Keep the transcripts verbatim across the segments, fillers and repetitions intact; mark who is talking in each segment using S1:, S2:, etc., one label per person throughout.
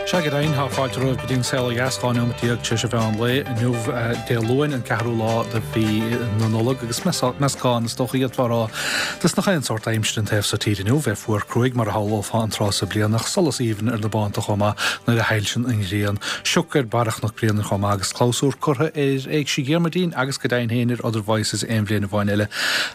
S1: Sea go deimhin, tá fáilte romhaibh go dtí an Saol Ó Dheas, dhá nóimeat déag tar éis an mheán lae inniu, Dé Luain, an ceathrú lá de mhí na Nollag, agus meascán, is dócha d'fhéadfá a rá, de nach aon sórt aimsire an taobh so tíre inniu, bheith fuar cruaidh mar a shamhlófá an tráth sa bliain, ach solas aoibhinn ar na bánta chomh maith nuair a shoilseann an ghrian. Sioc ar barra Chnoc Bréanainn chomh maith agus clabhsúr curtha ar Éigse Dhiarmuidín agus go deimhin féin ar Other Voices aon bhliain amháin eile,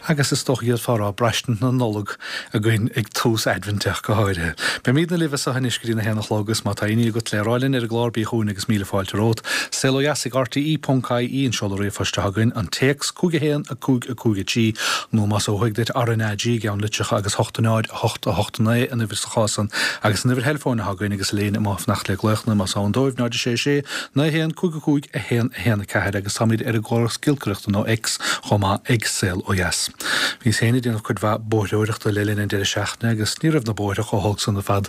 S1: agus is dócha d'fhéadfá a rá braistint na Nollag againn ag tús Aidbhinte ach go háirithe. Beimidne libh as seo anois go dtí a haon a chlog agus má tá aon ní agat le rá linn ar an gclár bí chugainn agus míle fáilte romhat. Saol Ó Dheas ag R T E ponc I E an seoladh ríomhphoist atá againn, an téacs cúig a haon a cúig a cúig a trí nó más ó thuaidh duit R N A G i gceann litreacha agus hocht a náid a hocht a hocht a naoi an uimhir sa chás san agus an uimhir theileafóin atá againn agus éinne amuigh fanacht le glaochanna más ann dóibh náid a sé sé naoi haon cúig a cúig a haon a haon a ceathair agus táimid ar an gcóras giolcaireachta nó X chomh maith ag Saol Ó Dheas. Bhíos féin ag déanamh cuid mhaith bóithreoireachta le linn an deireadh seachtaine agus ní raibh na bóithre chomh holc san ar fad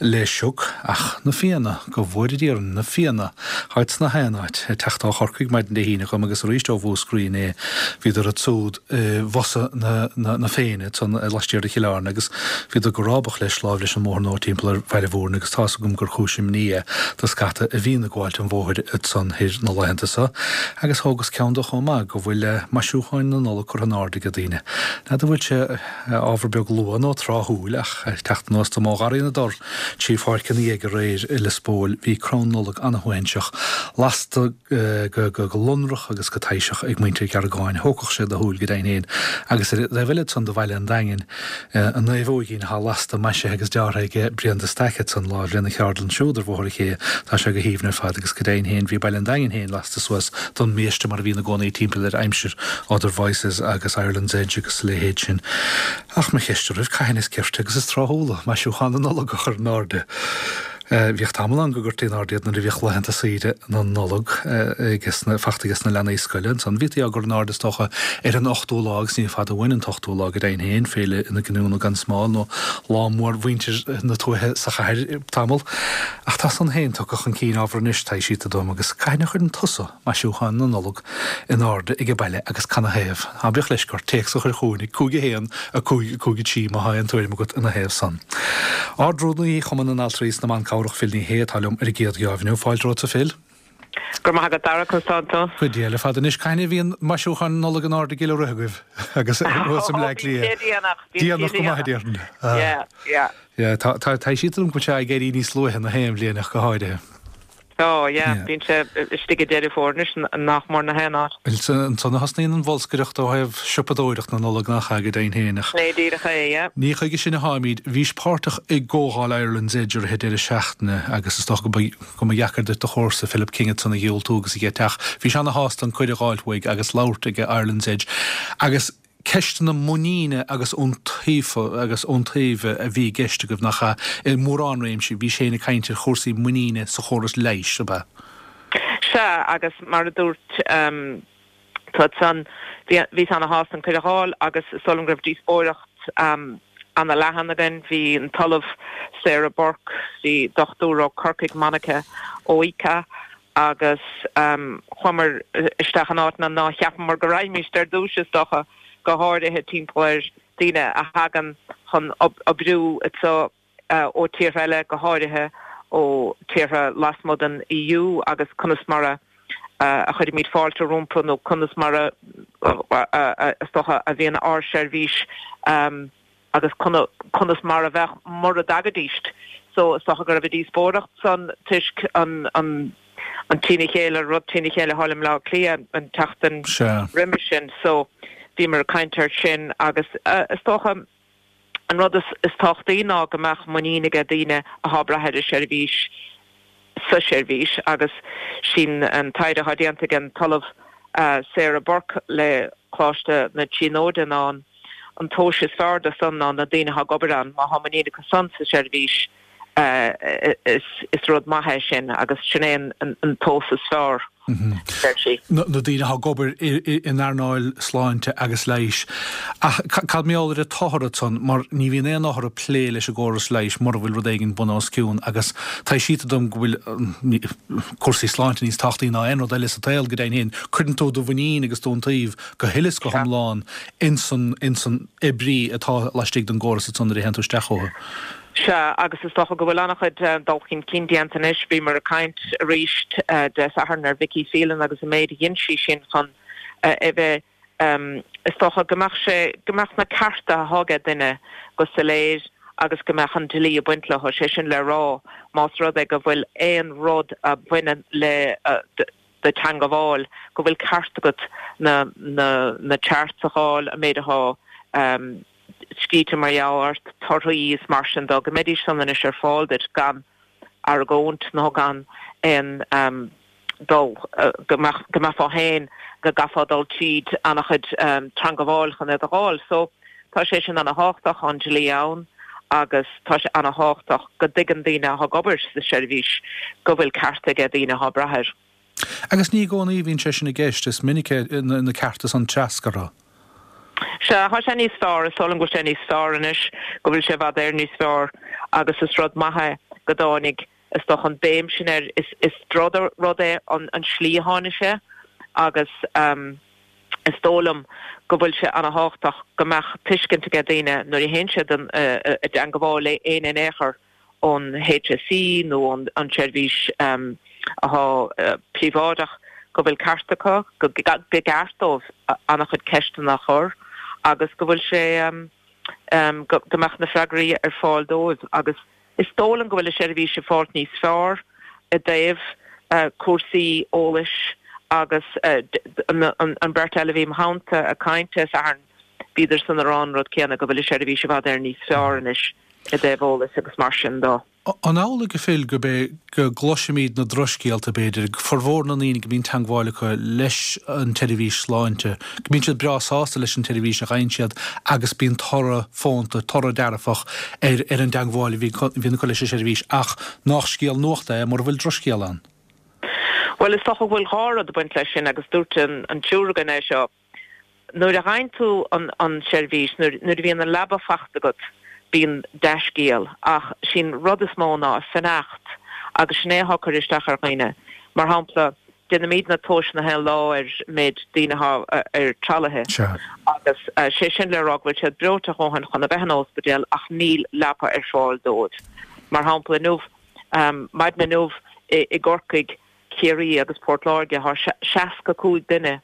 S1: le sioc ach na Fianna, go bhfóire Dia orainn, na Fianna! Tháid sna haon áit, ag teacht ó Chorcaigh maidin Dé hAoine dhom agus arís ó Mhúscraí inné, bhíodar ansúd i bhfosa na na Féinne ansan laistiar de Chill Airne agus bhíodar go rábach leis láimh leis an mbóthar nó timpeall ar Bhaile Mhúirne agus tá's agam gur chúis imní é do scata a bhíonn ag gabháilt an bhóthair ansan thoir na laethanta so agus thógas ceann de chomh maith go bhfuil maisiúcháin na Nollag curtha in airde ag daoine. N'fheadar an bhfuil sé ábhar beag luath nó tráthúil ach ag teacht anuas dom ó Gharraí na dTor trí Pháirc an Fhiaigh aréir i Lios Póil bhí crann Nollag ana-shuaithinseach lasta go go lonrach agus go taibhseach ag muintir Ghearragáin. Thógfadh sé do shúil go deimhin féin agus ar an dtaobh eile ansan de Bhaile an Daingin an naomhóigín atá lasta maisithe agus deartha ag Brian de Staic ansan láimh lena cheardlann siúd ar Bhóthar an Ché tá sé go haoibhinn ar fad agus go deimhin féin bhí Baile an Daingin féin lasta suas don mbiaiste mar a bhíonn i gcónaí timpeall ar aimsir Other Voices agus Ireland's Edge agus a leithéid sin. Ach mo cheist oraibh, cathain is cirte agus is tráthúla maisiúchán na Nollag a chur in airde? Bhíodh tamall ann go gcuirtí in airde iad nuair a bhíodh laethanta saoire na Nollag ages na, fachta ages na leanaí scoile. Ansan bhítí á gcur in airde is dócha ar an ochtú lá agus ní fada uainn an t-ochtú lá go deimhin féin, Féile na Giniúna gan Smál nó lá mór mhuintir na tuaithe sa chathair tamall. Ach tá san féin tugtha chun cinn ábhar anois, taibhsítear dom, agus cathain a chuireann tusa maisiúcháin na Nollag in airde age baile agus canathaobh? Ná bíodh leisce ort téacs a chur chugainn ag cúig a haon, a cúig, a cúig a trí má thá aon tuairim agat ina thaobh san. Ard-Rúnaí Chumann na nAltraí is na mBan Cabhrach Phil Ní Sheaghdha atá liom ar an gcéad gheábh inniu. Fáilte romhat a Phil.
S2: Go raibh maith agat Dara, conas tánn tú?
S1: Go diail ar fad anois. Cathain a bhíonn maisiúcháin na Nollag in airde i gCill Átha Rith agaibh agus thuas i mBleá
S2: Bíonn sé
S1: Cliath?
S2: déanach, bíonn sé
S1: Déanach go maith a
S2: déanach.
S1: déarfainn.
S2: Yeah, yeah.
S1: Yeah, tá, tá, taibhsítear dom go bhfuil sé ag éirí níos luaithe na haon bhliain ach go háirithe.
S2: Oh yeah, bíonn sé istigh i Deireadh Fómhair anois nach mór na haon áit.
S1: Ansan a thosnaíonn an bholscaireacht ó thaobh siopadóireacht na Nollag nach ea go deimhin féin ach.
S2: Sin é díreach é, yeah.
S1: Ní chuige sin a tháimid. Bhís páirteach i gcomhdháil Ireland's Edge i rith an deireadh seachtaine agus is dócha go mba go mba dheacair duit do chomharsa Philip King ansan a dhiúltú agus a gheiteach. Bhís ana-shásta an cuireadh a dh'fháilt uaidh agus labhairt ag Ireland's Edge agus ceisteanna muiníne agus iontaofa agus iontaoibhe a bhí i gceist agaibh, nach ea? I mórán réimsí, bhís féin ag caint ar chúrsaí muiníne sa chóras leighis, ab ea?
S2: Sea, agus mar a dúirt tú ansan, bhíos ana-shásta an cuireadh a fháil agus is dóigh liom go raibh díospóireacht ana-leathan againn. Bhí an tOllamh Sarah Burke, bhí dochtúir ó Corcaigh, Monica ó Ica, agus chuamar isteach in áiteanna ná cheapamar go raghaimíst ar dtús, is dócha, go háirithe timpeall ar daoine a thagann chun oibriú anseo ó tíortha eile, go háirithe ó tíortha lasmuigh den E U agus conas mar a a chuirimid fáilte rompu nó conas mar a is dócha a bhíonn ár seirbhís agus conas mar a bheadh mura dtagaidíst. So is dócha go raibh an díospóireacht san toisc an an an trína chéile, rud trína chéile thall i mBleá Cliath an tseachtain roimhe sin. So bhíomar ag caint air sin agus is dócha an rud is is tábhachtaí ná go mbeadh muinín aige daoine athá ag brath ar an seirbhís sa seirbhís agus sin an taighde atá déanta ag an tOllamh Sarah Burke le Coláiste na Tríonóide ná an an tomhas is fearr de san ná na daoine atá ag obair ann, má thá muinín acu san sa seirbhís is is rud maith é sin agus sin é an an tomhas is fearr, deir sí.
S1: Na daoine atá ag obair in earnáil sláinte agus leighis. Ach cad mar gheall ar an t-othar ansan, mar ní bhíonn aon othar ag plé leis an gcóras leighis mura bhfuil rud éigin bun os cionn agus taibhsítear dom go bhfuil cúrsaí sláinte níos tábhachtaí ná aon rud eile sa tsaol go deimhin féin. Cuireann tú do mhuinín agus d'iontaoibh go huile is go hiomlán ins an ins an oibrí atá laistigh den gcóras ansan nuair a théann tú isteach chucu.
S2: Sea, agus is dócha go bhfuil an-chuid dul chun cinn déanta anois. Bhíomar ag caint arís Dé Sathairn ar Vicky Phelan agus an méid a dhein sí sin chun a bheith, is dócha, go mbeadh sé, go mbeadh na cearta atá ag duine go soiléir agus go mbeadh an dlí ag baint leo, sé sin le rá, más rud é go bhfuil aon rud a bhaineann le do theangabháil, go bhfuil ceart agat na, na, na charts a fháil, an méid atá scríte mar gheall ort, torthaí is mar sin dó, go mbeidís san anois ar fáil duit gan argóint nó gan aon dul, go mbeifeá féin, go gcaithfeá dul tríd an-chuid teangabháil chun iad a fháil. So tá sé sin ana-thábhachtach, an dlí ann agus tá sé ana-thábhachtach go dtuigeann daoine atá ag obair sa seirbhís go bhfuil ceart ag daoine atá ag brath air.
S1: Agus ní i gcónaí a bhíonn sé sin i gceist, is minic na cearta san treascartha.
S2: Sea, tá sé níos fearr, is dóigh liom go bhfuil sé níos fearr anois, go bhfuil sé i bhfad Éireann níos fearr agus is rud maith é go dtáinig, is dócha, an béim sin air. Is is drochrud é an an slí a tháinig sé agus is dóigh liom go bhfuil sé ana-thábhachtach go mbeadh tuiscint ag daoine nuair a théann siad i dteangabháil le éinne in aon chor ón H S E nó ón an tseirbhís atá príobháideach go bhfuil ceart acu, go gceart dóibh an-chuid ceisteanna a chur agus go bhfuil sé go mbeadh na freagraí ar fáil dóibh. Agus is dóigh liom go bhfuil an seirbhís ag fáilt níos fearr i dtaobh cúrsaí eolais agus an bheirt eile a bhí im theannta ag caint Dé Sathairn, bhíodar san ag rá an rud céanna, go bhfuil an seirbhís i bhfad Éireann níos fearr anois i dtaobh eolais agus mar sin dó.
S1: An amhlaidh, a Phil, go bé go gcloisimid na drochscéalta b'fhéidir, formhór na ndaoine go mbíonn teagmháil acu leis an tseirbhís sláinte, go mbíonn siad breá sásta leis an tseirbhís a fhaigheann siad agus bíonn toradh fónta, toradh dearfach ar ar an dteagmháil a bhíonn acu leis an seirbhís ach nach scéal nuachta é mura bhfuil drochscéal ann?
S2: Bhuel, is dócha go bhfuil dhá rud ag baint leis sin agus dúirt an an triúr againn é seo. Nuair a fhaigheann tú an an tseirbhís, nuair nuair a bhíonn an leaba faighte agat, bíonn dea-scéal ach sin rud is mó ná fanacht agus sin é atá ag cur isteach ar dhaoine. Mar shampla, déanaimid na tomhais na haon lá ar méid daoine atá ar tralaithe agus sé sin le rá go bhfuil siad breoite a dhóthain chun a bheith in ospidéal ach níl leapa ar fáil dóibh. Mar shampla inniu, maidin inniu i gCorcaigh, Ciarraí agus Port Láirge tá seasca cúig duine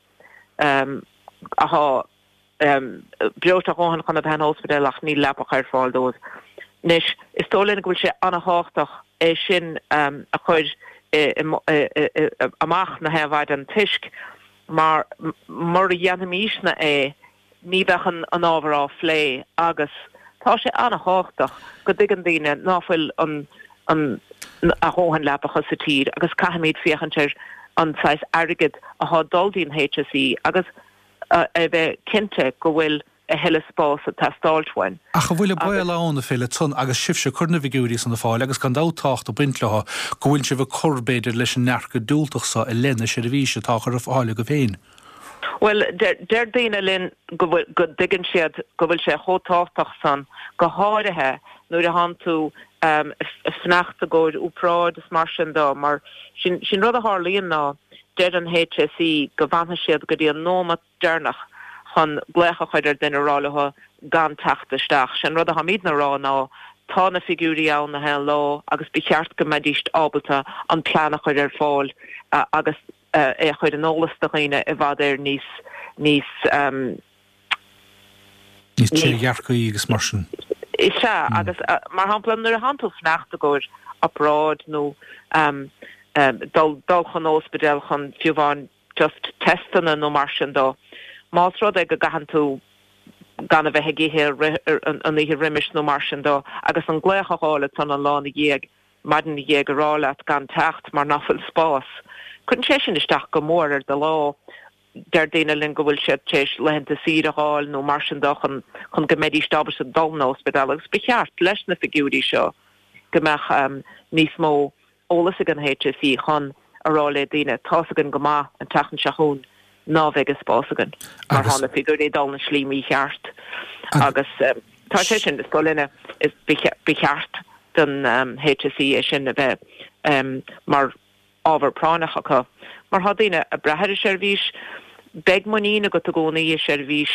S2: atá breoite a dhóthain chun a bheith in ospidéal ach níl leapacha ar fáil dóibh. Anois, is dóigh linn go bhfuil sé an-thábhachtach é sin a chur amach na haon mhaidin toisc mar mura dhéanfaimisne é ní bheadh an ábhar á phlé agus tá sé an-thábhachtach go dtuigeann daoine ná fuil an an a dhóthain leapacha sa tír agus caithfimid féachaint ar an saghas airgead atá ag dul dtí'n H S E agus a bheith cinnte go bhfuil a thuilleadh spás ag teastáilt uainn.
S1: Ach an bhfuil an baol ann, a Phil, ansan agus sibhse ag cur na bhfigiúirí san ar fáil agus gan dabht tábhacht ag baint leo, go bhfuil sibh ag cur, b'fhéidir, leis an ndearcadh diúltach so i leith na seirbhíse atá á chur ar fáil agaibh féin?
S2: Bhuel, deir daoine linn go bhfuil, go dtuigeann siad go bhfuil sé chomh tábhachtach san, go háirithe nuair a thánn tú ag fanacht i gcomhair obráid is mar sin dó, mar sin, sin rud a tharlaíonn ná deir an H S E go bhfanfaidh siad go dtí an nóimeat deireanach chun glaoch a chur ar duine a rá leo gan teacht isteach. Sin rud atháimidne a rá ná tá na figiúirí ann na haon lá agus ba cheart go mbeidís ábalta an plean a chur ar fáil agus é a chur in eolas do dhaoine i bhfad Éireann níos níos
S1: níos trédhearcaí agus mar sin.
S2: Is ea, agus mar shampla nuair a thánn tú ag fanacht i gcomhair obráid nó dul dul chun ospidéal chun fiú amháin just testanna nó mar sin dó. Más rud é go gcaitheann tú gan a bheith ag ithe an oíche roimis nó mar sin dó agus an glaoch a fháil ansan an lá ina dhiaidh, maidin ina dhiaidh ag rá leat gan teacht mar nach bhfuil spás. Cuireann sé sin isteach go mór ar do lá. Deir daoine linn go bhfuil siad tar éis laethanta saoire a fháil nó mar sin dó chun chun go mbeidís ábalta dul 'na ospidéal agus ba cheart leis na figiúirí seo go mbeadh níos mó eolas ag an H S E chun a rá le daoine, tá's againn go maith an tseachtain seo chugainn ná bheidh an spás againn mar tá na figiúirí ag dul na slí mícheart agus tá sé sin, is dóigh linne, is ba cheart don H S E é sin a bheith mar ábhar práinneach acu mar tá daoine ag brath ar an seirbhís. Beidh muinín agat i gcónaí i seirbhís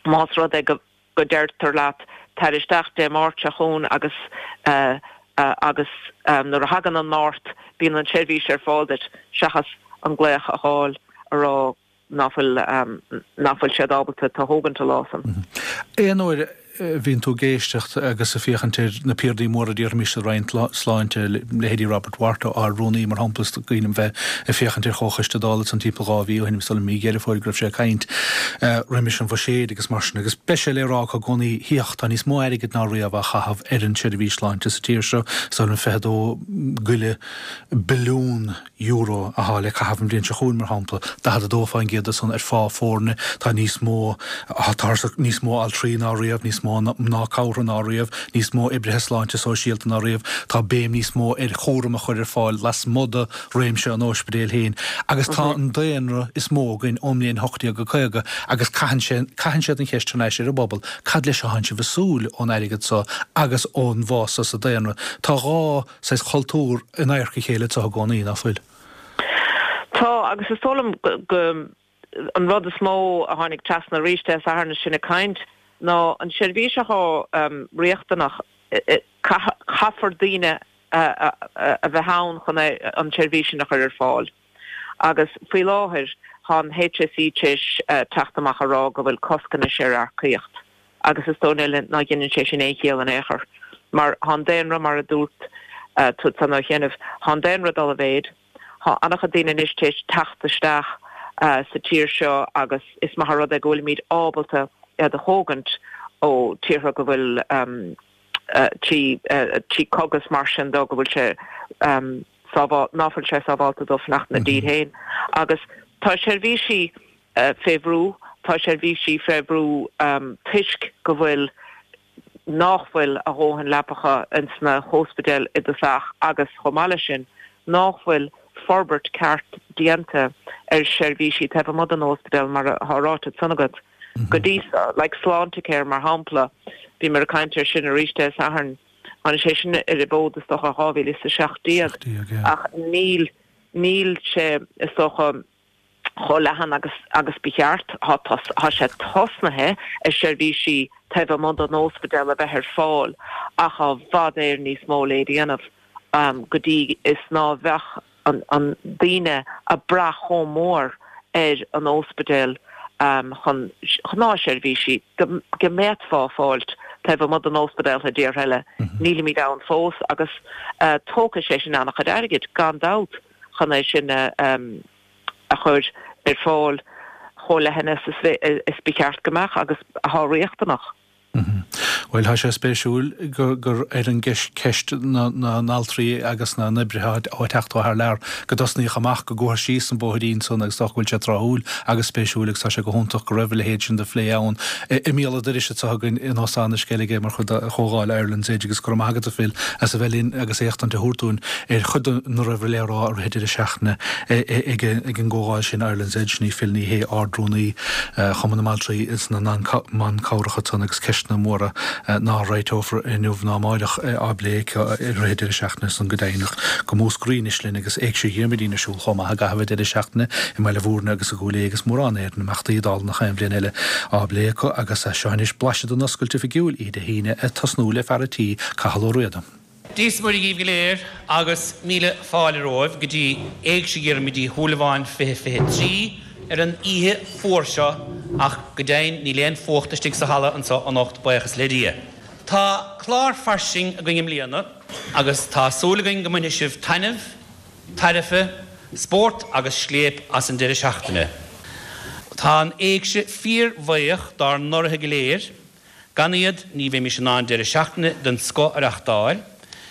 S2: más rud é go go deirtear leat tar isteach Dé Máirt seo chugainn agus agus nuair a thagann an Máirt bíonn an tseirbhís ar fáil duit seachas an glaoch a fháil a rá nach bhfuil nach bhfuil siad ábalta tú a thógaint an lá san.
S1: Aon uair a bhíonn tú ag éisteacht agus ag féachaint ar na piardaí móra déarfaimis sa Roinn Sláinte, leithéidí Robert Watt, Ard-Rúnaí mar shampla, is cuimhin liom bheith ag féachaint ar Chomhchoiste Dála ansan timpeall dhá mhí ó shin, is dóigh liom mí Dheireadh Fómhair go raibh sé ag caint roimis an bhuiséad agus mar sin agus beidh sé le rá acu i gcónaí, féach, tá níos mó airgid ná riamh á chaitheamh ar an tseirbhís sláinte sa tír seo, is dóigh liom fiche dó goile billiún euro atá le caitheamh an bhliain seo chugainn, mar shampla, daichead a dó fán gcéad de san ar phá foirne, tá níos mó, tá níos mó altraí ná riamh, níos mó mná cabhrach ná riamh, níos mó oibrithe sláinte sóisialta ná riamh, tá béim níos mó ar chúram a chur ar fáil lasmuigh de réimse an óispidéil féin agus tá an daonra is mó againn ón mbliain ocht déag caoga agus caitheann sé, caitheann siad an cheist thar n-ais ar an bpobal, cad leis a thánn sibh ag súil ón airgead so agus ón bhfás so sa daonra? Tá dhá saghas chultúr in adharca a chéile anseo i gcónaí, ná fuil?
S2: Tá, agus is dóigh liom go an rud is mó a tháinig trasna arís Dé Sathairn is sinn ag caint ná an seirbhís atá riachtanach, caithfear daoine a bheith ann chun an tseirbhís sin a chur ar fáil. Agus faoi láthair tá an HSE tar éis teacht amach a rá go bhfuil cosc anois ar earcaíocht. Agus is dóigh liom ná dheineann sé sin aon chiall in aon chor. Mar tá an daonra, mar a dúirt tú ansan ó chianaibh, tá an daonra ag dul i mhéid, tá an-chuid daoine anois tar éis teacht isteach sa tír seo agus is maith an rud é go bhfuilimid ábalta iad a thógaint ó tíortha go bhfuil trí trí cogadh is mar sin dó go bhfuil sé ná fuil sé sábhálta dóibh fanacht ina dtír féin. Agus tá seirbhísí fé bhrú, tá seirbhísí fé bhrú toisc go bhfuil nách bhfuil a dhóthain leapacha ins na hóspidéil i dtosach agus chomh maith leis sin nách bhfuil forbairt ceart déanta ar seirbhísí taobh amuigh den óspidéal mar atá ráite ansan agat go dtí so, like Sláintecare mar shampla, bhíomar ag caint air sin arís Dé Sathairn, tháinig sé sin ar an bhfód is dócha dhá mhíle is a seacht déag ach níl, níl sé is dócha chomh leathan agus agus ba cheart. Tá sé tosnaithe ar seirbhísí taobh amuigh den óspidéal a bheith ar fáil ach tá i bhfad Éireann níos mó le déanamh go dtí is ná bheadh an an daoine ag brath chomh mór ar an óspidéal chun gnáthsheirbhísí go bhféadfá a fháilt taobh amuigh den óspidéal i dtíortha eile. Nílimid ann fós agus tógfaidh sé sin an-chuid airgid, gan dabht, chun é sin a a chur ar fáil chomh leathan is ba cheart go mbeadh agus atá riachtanach.
S1: Bhuel, tá sé spéisiúil gur ar an gceist na n-altraí agus na n-oibrithe atá ag teacht ó thar lear go dtosnaíodh amach, go gcuathas síos an bóithrín san agus dócha go bhfuil sé tráthúil agus spéisiúil agus tá sé go hiontach go raibh a leithéid sin de phlé ann i mbéal an dorais anseo againn in Óstán na Sceilge mar chuid de Chomhdháil Ireland's Edge agus go raibh maith agat a Phil as a bheith linn agus éachtaint a thabhairt dúinn ar chuid de na raibh le rá i rith an deireadh seachtaine ag an gcomhdháil sin Ireland's Edge. Sin í Phil Ní Sheaghdha, Ard-Rúnaí Chumann na mBaltraí is na mBan Cabhrach ansan agus ceisteanna móra ná réiteofar inniu ná amáireach á bplé aici i rith an deireadh seachtaine san go deimhin. Go Múscraí anois linn agus Éigse Dhiarmuidín ar siúl chomh maith i gcaitheamh an deireadh seachtaine i mBaile Bhúirne agus i gCúil Aodha agus mórán ar na himeachtaí dála nach aon bhliain eile á bplé acu agus seo anois blaiseadh den oscailt oifigiúil oíche Dé hAoine ag tosnú le fear a' tí, Cathal Ó Riada.
S3: Dia is Muire dhíbh go léir agus míle fáile romhaibh go dtí Éigse Dhiarmuid Uí Shúilleabháin fiche fiche trí ar an oíche fuar seo ach go deimhin níl aon fuacht istigh sa halla anseo anocht buíochas le Dia. Tá clár fairsing againn i mbliana agus tá súil againn go mbainfidh sibh taitneamh, tairbhe, spórt agus scléip as an deireadh seachtaine. Tá an Éigse fíor bhuíoch dár n-urraithe go léir. Gan iad, ní bheimis in ann deireadh seachtaine den scoth a reachtáil.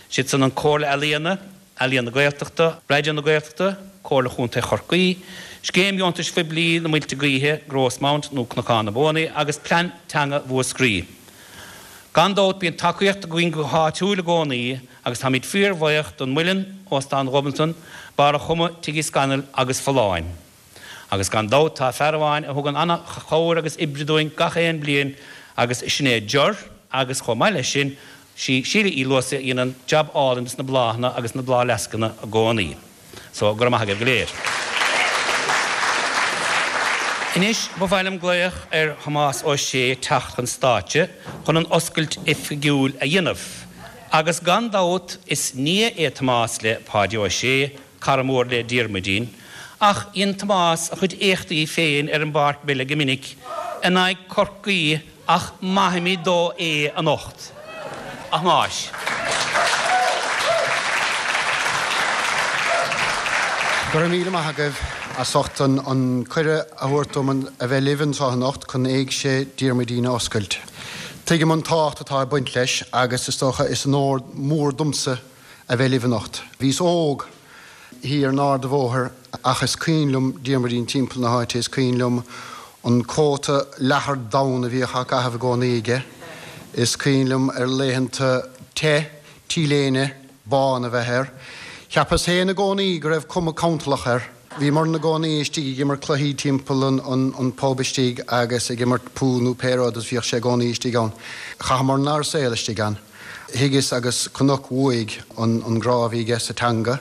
S3: Siad san an Comhairle Ealaíona, Ealaíon na Gaeltachta, Raidió na Gaeltachta, Comhairle Chontae Chorcaí, Scéim Dheontais Phoiblí na Muilte Gaoithe, Grosmount nó Cnocán na Buanaí agus Plean Teanga Mhúscraí. Gan dabht bíonn tacaíocht againn go háitiúil i gcónaí agus táimid fíor-bhuíoch don Muileann, Óstán Ghobnatan, Barr a' Chuma, Tigh Uí Scanaill agus Folláin. Agus gan dabht tá fear amháin a thugann ana-chabhair agus oibre dúinn gach aon bliain agus sin é Ger agus chomh maith leis sin sí Síle Uí Luasaigh a dhéanann jab álainn dos na bláthanna agus na bláthfhleascanna i gcónaí. So, go raibh maith agaibh go léir. Anois ba mhaith liom glaoch ar Thomás Ó Sé teacht chun stáitse chun an oscailt oifigiúil a dhéanamh. Agus gan dabht is nia é Tomás le Páidí Ó Sé, cara mór le Diarmuidín, ach dhein Tomás a chuid éachtaí féin ar an bpáirc peile go minic in aghaidh Chorcaí ach maithfimid dó é anocht. A Thomáis.
S4: Go raibh míle maith agaibh as ucht an cuireadh a thabhairt dom a bheith libh anseo anocht chun Éigse Diarmuidín a oscailt. Tuigim an tábhacht atá ag baint leis agus is dócha is onóir mór domsa a bheith libh anocht. Bhíos óg thiar in Ard a' Bhóthair ach is cuimhin liom Diarmuidín timpeall na háite, is cuimhin liom an cóta leathair donn a bhíodh á chaitheamh i gcónaí aige, is cuimhin liom ar laethanta te, T-léine bán a bheith air. Cheapas féin i gcónaí go raibh cuma cantalach air. Bhíomar ina gcónaí istigh ag imirt cluichí timpeall an an pub istigh agus ag imirt pool nó pé rud is bhíodh sé i gcónaí istigh ann. Chaitheamar ár saol istigh ann. Thuigeas agus chonac uaidh an grá a bhí aige sa teanga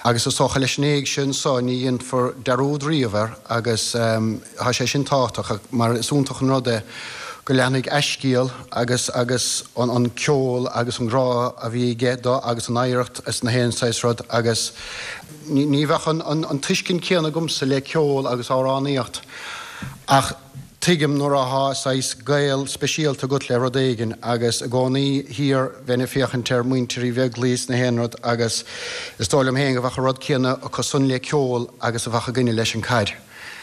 S4: agus is dócha leis an éigse anso ní dhéanfar dearúd riamh air agus tá sé sin tábhachtach mar is iontach an rud é go leanfaidh a scéal agus agus an ceol agus an grá a bhí aige do agus an oidhreacht is na haon saghas rud agus ní bheadh an tuiscint céanna agamsa le ceol agus amhránaíocht ach tuigim nuair atá saghas gaol speisialta agat le rud éigin agus i gcónaí thiar bheinn ag féachaint ar muintir Uí Bheaglaoich is na haon rud agus is dóigh liom féin go bheadh an rud céanna acu san le ceol agus a bheadh againne leis an caid.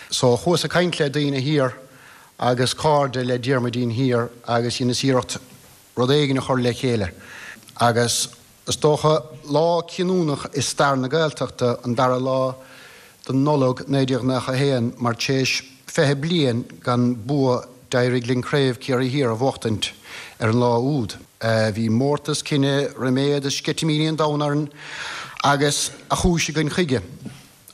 S4: So chuas ag caint le daoine thiar agus cairde le Diarmuidín thiar agus dheineas iarracht rud éigin a chur le chéile agus is dócha lá cinniúnach i stair na Gaeltachta an dara lá de Nollaig naoi déag nócha a haon mar tar éis fiche bliain gan bua d'éirigh linn Craobh Chiarraí Thiar a bhuachtaint ar an lá úd. Bhí mórtas cine, ríméad is sceitimíní an domhain orainn agus a chúis againn chuige.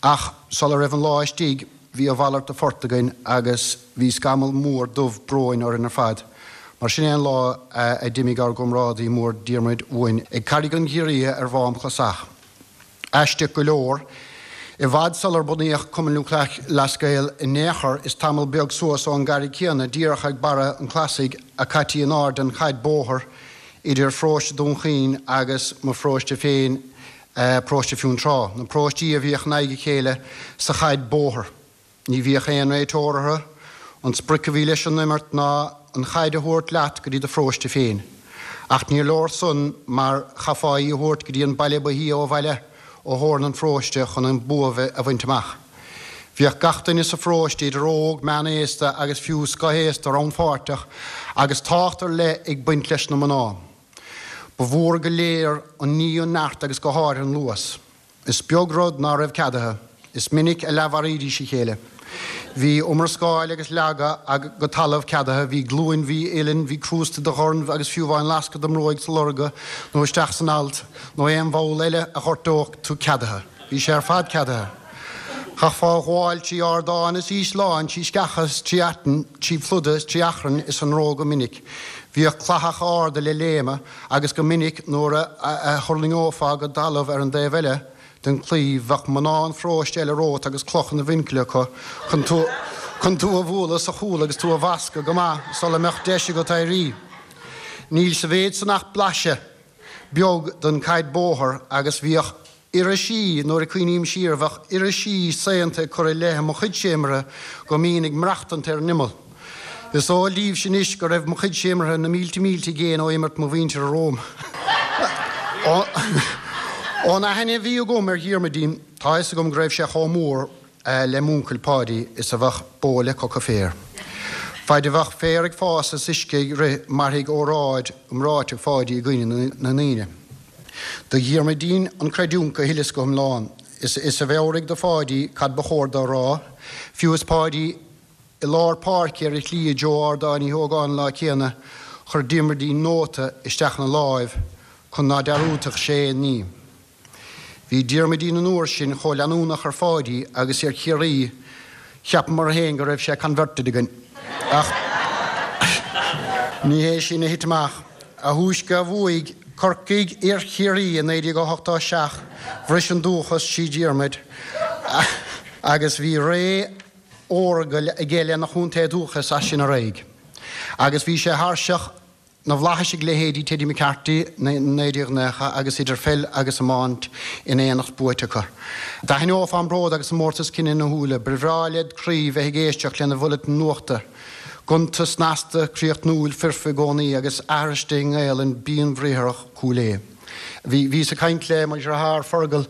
S4: Ach sula raibh an lá istigh bhí a mhalairt de phort againn agus bhí scamall mór dubh bróin orainn ar fad mar sin é an lá a d'imigh ár gcomrádaí mór Diarmuid uainn ag Carraig an Ghiorria ar Mhám Clasach. Aisteach go leor, i bhfad sular bunaíodh Cumann Lúthchleas Gael in aon chor, is tamall beag suas ón gcarraig chéanna, díreach ag barra an Chlasaigh, a caití in airde an chaid bóthair idir pharóiste Dhún Chaoin agus mo pharóiste féin, paróiste Fionntrá, na paróistí a bhíodh in aghaidh a chéile sa chaid bóthair. Ní bhíodh aon réiteoir orthu. An sprioc a bhí leis an imirt ná an chaid a thabhairt leat go dtí do pharóiste féin. Ach níor leor san mar chaithfeá í a thabhairt go dtí an baile ba shia ó bhaile ó theorainn an pharóiste chun an bua a bhaint amach. Bhíodh gach duine sa pharóiste, idir óg, meánaosta agus fiú scothaosta, rannpháirteach agus tábhacht ar leith ag baint leis na mná. Ba mhór go léir an ní an neart agus go háirithe an luas. Is beag rud ná raibh ceadaithe. Is minic a leathmharaídís a chéile. Bhí iomrascáil agus leagadh go talamh ceadaithe, bhí glúin, bhí uillinn, bhí crústa de dhorn agus fiú amháin lascadh do mbróig sa lorga nó isteach san alt nó aon bhall eile a ghortódh tú ceadaithe. Bhí sé ar fad ceadaithe. Chaithfeá a ghabháil trí ardáin is ísleáin, trí sceacha is trí aiteann, trí phluda is trí achrainn is anró go minic. Bhíodh clathacha arda le léimeadh agus go minic nuair a thuirlingeofá go talamh ar an dtaobh eile, den chlaí, bheadh mná an pharóiste eile romhat agus cloch ina mhuinchille acu chun tú chun tú a bhualadh sa chúl agus tú a bhascadh go maith sula mbeadh deis agat éirí. Níl sa mhéid san ach blaiseadh beag den chaid bóthair agus bhíodh irisí, nuair a cuimhním siar, bheadh irisí saonta ag cur i leith mo chuidse imeartha go mbínn ag maireachtaint ar an imeall. Is eol daoibhse anois go raibh mo chuidse imeartha na mílte mílte i gcéin ó imirt mo mhuintire romham. Ón aithne a bhí agam ar Dhiarmuidín, tá a fhios agam go raibh sé chomh mór le m'uncail Páidí is a bheadh bó le coca féir. Faid a bheadh féar ag fás is uisce ag rith mairfidh óráid iomráiteach Pháidí i gcuimhne na ndaoine. Do Dhiarmuidín an chreidiúint go huile is go hiomlán. Is a mheabhraigh do Pháidí cad ba chóir dó a rá, fiú is Páidí i lár páirce ar a shlí i dtreo Ardán Uí hÓgáin an lá céanna, chuir Diarmuidín nóta isteach ina láimh chun ná dearúdfadh sé aon ní. Bhí Diarmuidín an uair sin chomh leanúnach ar Pháidí agus ar Chiarraí, cheapamar féin go raibh sé converted againn. Ach ní hé sin a thit amach. A thúisce a bhuaigh Corcaigh ar Chiarraí i naoi déag ochtó a seacht, bhris an dúchas trí Dhiarmuid agus bhí ré Fhorgail aige lena chontae dúchais as sin ar aghaidh. Agus bhí sé thairseach na bhflaitheas ag leithéidí Teddy McCarthy naoi déag nócha agus idir pheil agus iomáint in éineacht buaite acu. D'aithneofá an bród agus an mórtas cine ina shúile, ba bhreá led chroí bheith ag éisteacht lena bhulletin nuachta. Gonta snasta críochnúil foirfe i gcónaí agus aithriste i nGaelainn bhinnbhriathrach Chúil Aodha. Bhí bhíos ag caint le mo dheartháir Fergal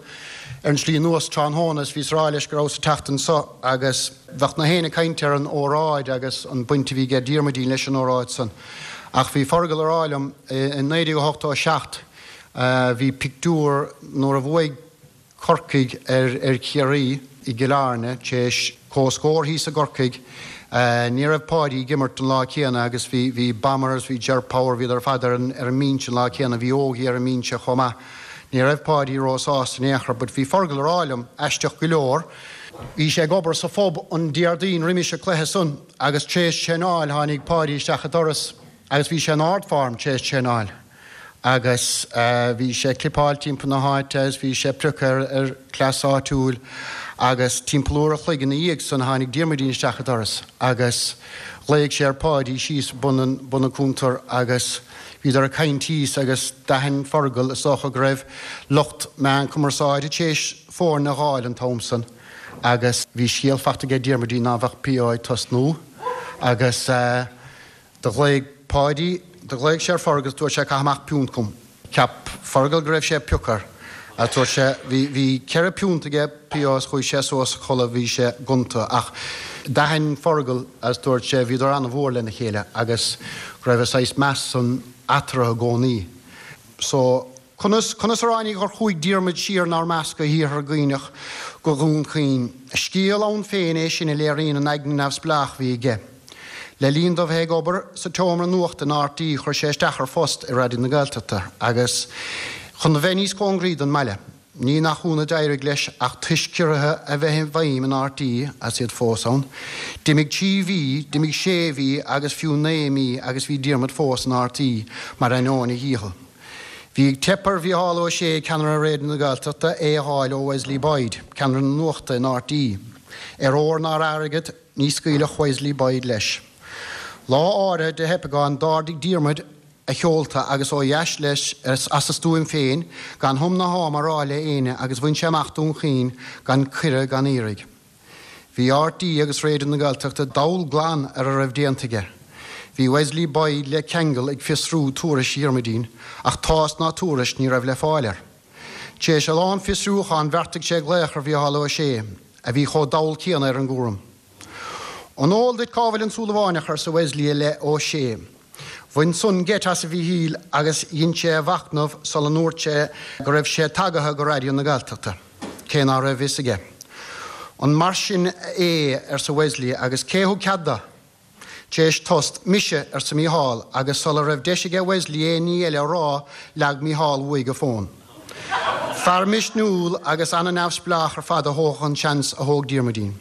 S4: ar an slí anuas tráthnóna is bhíos ag rá leis go rabhas ag teacht anso agus bheadh na héinne ag caint ar an óráid agus an baint a bhí aige Diarmuidín leis an óráid san. Ach bhí Fergal ag rá liom i naoi déag ochtó a seacht bhí pictiúr nuair a bhuaigh Corcaigh ar ar Chiarraí i gCill Airne tar éis comhscór thíos i gCorcaigh. Ní raibh Páidí ag imirt an lá céanna agus bhí bhí Bomber agus bhí Ger Power bhíodar ar fad ar an ar an mbinse an lá céanna, bhí Ógie ar an mbinse chomh maith. Ní raibh Páidí róshásta in aon chor but bhí Fergal ag rá liom, aisteach go leor, bhí sé ag obair sa phub an Déardaoin roimis an cluiche san agus tar éis traenáil tháinig Páidí isteach an doras agus bhí sé in ardform tar éis traenáil agus bhí sé ag clipeáil timpeall na háite agus bhí sé ag priocadh ar chleas áitiúil agus timpeall uair a chloig ina dhiaidh san tháinig Diarmuidín isteach an doras agus ghlaoigh sé ar Pháidí síos bun an bun an cuntair agus bhíodar ag caint thíos agus d'aithin Fergal is dócha go raibh lucht meán cumarsáide tar éis foirne a dh'fháil an t-am san agus bhí scéal fachta aige Diarmuidín ná bheadh P O ag tosnú agus do ghlaoigh Páidí, do ghlaoigh sé ar Fergal is dúirt sé caith amach piúnt chugam. Cheap Fergal go raibh sé ag piocadh air. Agus dúirt sé, bhí, bhí ceithre piúnt aige P O is chuaigh sé suas a chodladh, bhí sé gonta. Ach d'aithin Fergal agus dúirt sé, bhíodar an-mhór lena chéile agus go raibh a saghas meas san eatarthu i gcónaí. So, Conas, conas a ráinig gur chuaigh Diarmuid siar 'nár measc go hIarthar Dhuibhneach, go Dhún Chaoin? Scéal ann féin é sin a léiríonn an aigne neamhspleách a bhí aige. Le linn dó bheith ag obair sa tseomra nuachta in R T E chuir sé isteach ar phost i Raidió na Gaeltachta agus chun a bheith níos cóngaraí don mbaile. Ní nach ionadh d'éirigh leis ach toisc ciorruithe a bheith i bhfeidhm in R T E, as iad fós ann, d'imigh trí mhí, d'imigh sé mhí agus fiú naoi mí agus bhí Diarmuid fós in R T E mar ainneoin a dhícheall. Bhí ag teip ar Mhícheál Ó Sé, ceannaire Raidió na Gaeltachta, é a dh'fháil ó Wesley Boyd, ceannaire na nuachta in R T E. Ar ór ná ar airgead ní scaoilfeadh Wesley Boyd leis. Lá áirithe de theipeagán d'ardaigh Diarmuid a sheolta agus ó dheas leis as a stuaim féin gan hum ná ham a rá le éinne agus bhain sé amach Dún Chaoin gan cuireadh gan iarraidh. Bhí R T E agus Raidió na Gaeltachta dall glan ar a raibh déanta aige. Bhí Wesley Boyd le ceangal ag fiosrú tuairisc Dhiarmuidín ach tásc ná tuairisc ní raibh le fáil air. Tar éis a lán fiosrúchán bheartaigh sé glaoch ar Mhícheál Ó Sé, a bhí chomh dall céanna ar an gcúram. An eol duit cá bhfuil an Súilleabhánach, arsa Wesley i leith Ó Sé. Bhain san geit as a Mhíchíl agus dhein sé a mhachnamh sula ndúirt sé go raibh sé tagaithe go Raidió na Gaeltachta, cé ná raibh fhios aige. An mar sin é, arsa Wesley, agus cé thug cead dó? Tar éis tost, Mise, arsa Mícheál, agus sula raibh deis aige Wesley aon ní eile a rá, leag Mícheál uaidh a fón. Fear misniúil agus an-neamhspleách ar fad a thógfadh an seans a thóg Diarmuidín.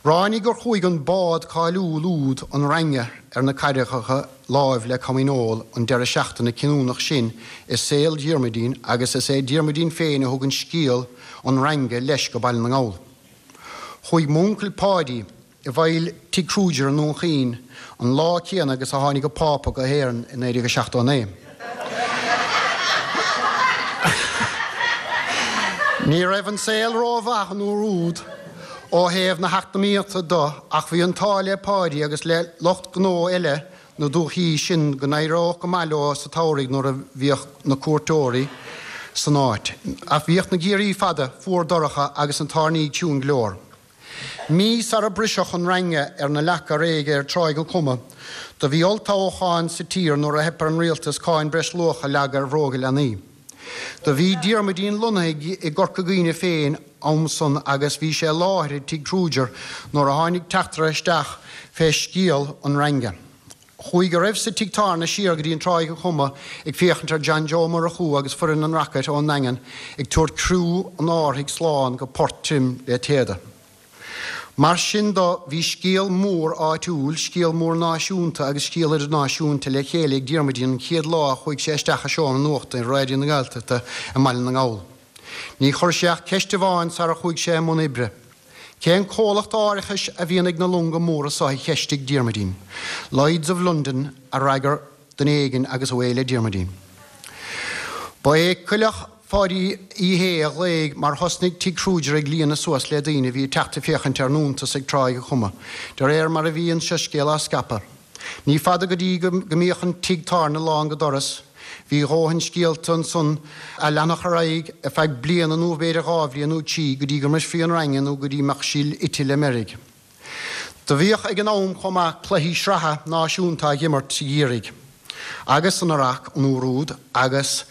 S4: Ráinig gur chuaigh an bád cáiliúil úd an Range ar na carraigeacha láimh le Coimín an deireadh seachtaine cinniúnach sin i saol Dhiarmuidín agus is é Diarmuidín féin a thug an scéal an Range leis go Baile na nGall. Chuaigh m'uncail Páidí i bhfeighil Tigh Kruger i nDún Chaoin an lá céanna agus a tháinig an Pápa go hÉirinn i naoi déag seachtó a naoi. Ní raibh an saol rómhaith an uair úd ó thaobh na heacnamaíochta de ach bhí an t-ádh le Páidí agus le lucht gnó eile na dúichí sin go n-éireodh go maith leo sa tsamhraidh nuair a bhíodh na cuairteoirí san áit. Ach bhíodh na geimhrí fada, fuar dorcha agus an toirní ciúin go leor. Mí sara briseadh an Range ar na leaca réidhe ar Tráigh an Chuma, do bhí olltoghchán sa tír nuair a theip ar an rialtas cáin breisluacha a leagadh ar bhróga leanaí. Do bhí Diarmuidín lonnaithe i gCorca Dhuibhne féin am san agus bhí sé i láthair i dTigh Kruger nuair a tháinig teachtaire isteach fé scéal an Range. Chuaigh a raibh sa tigh tábhairne siar go dtí an Tráigh an Chuma ag féachaint ar John Joe Murchú agus foireann an Rocket ón nDaingean ag tabhairt criú an árthaigh slán go port tirim le téada. Mar sin do, bhí scéal mór áitiúil, scéal mór náisiúnta agus scéal idirnáisiúnta le chéile ag Diarmuidín an chéad lá a chuaigh sé isteach i seomra nuachta i Raidió na Gaeltachta i mBaile na nGall. Ní chuir sé ach ceist amháin sara chuaigh sé i mbun oibre. Cén comhlacht árachais a bhíonn ag na longa móra seo a cheistigh Diarmuidín. Lloyds of London a fhreagair duine éigin agus away le Diarmuidín. Ba é coileach Pháidí Uí Shé a ghlaoigh mar thosnaigh Tigh Kruger ag líonadh suas le daoine a bhí ag teacht ag féachaint ar an iontas ag Tráigh a Chuma, de réir mar a bhí an soiscéal á scaipeadh. Ní fada go dtí go mbíodh an tigh tábhairne lán go doras. Bhí a dhóthain scéalta ansan a leanfadh ar aghaidh ar feadh bliana nó b'fhéidir dhá bhliain nó trí go dtí go mbrisfí an raingean nó go dtí mbeadh sí ite le meirg. Do bhíodh ag an am chomh maith cluichí sraithe náisiúnta á dh'imirt i gCiarraí agus san Iaráic an uair úd agus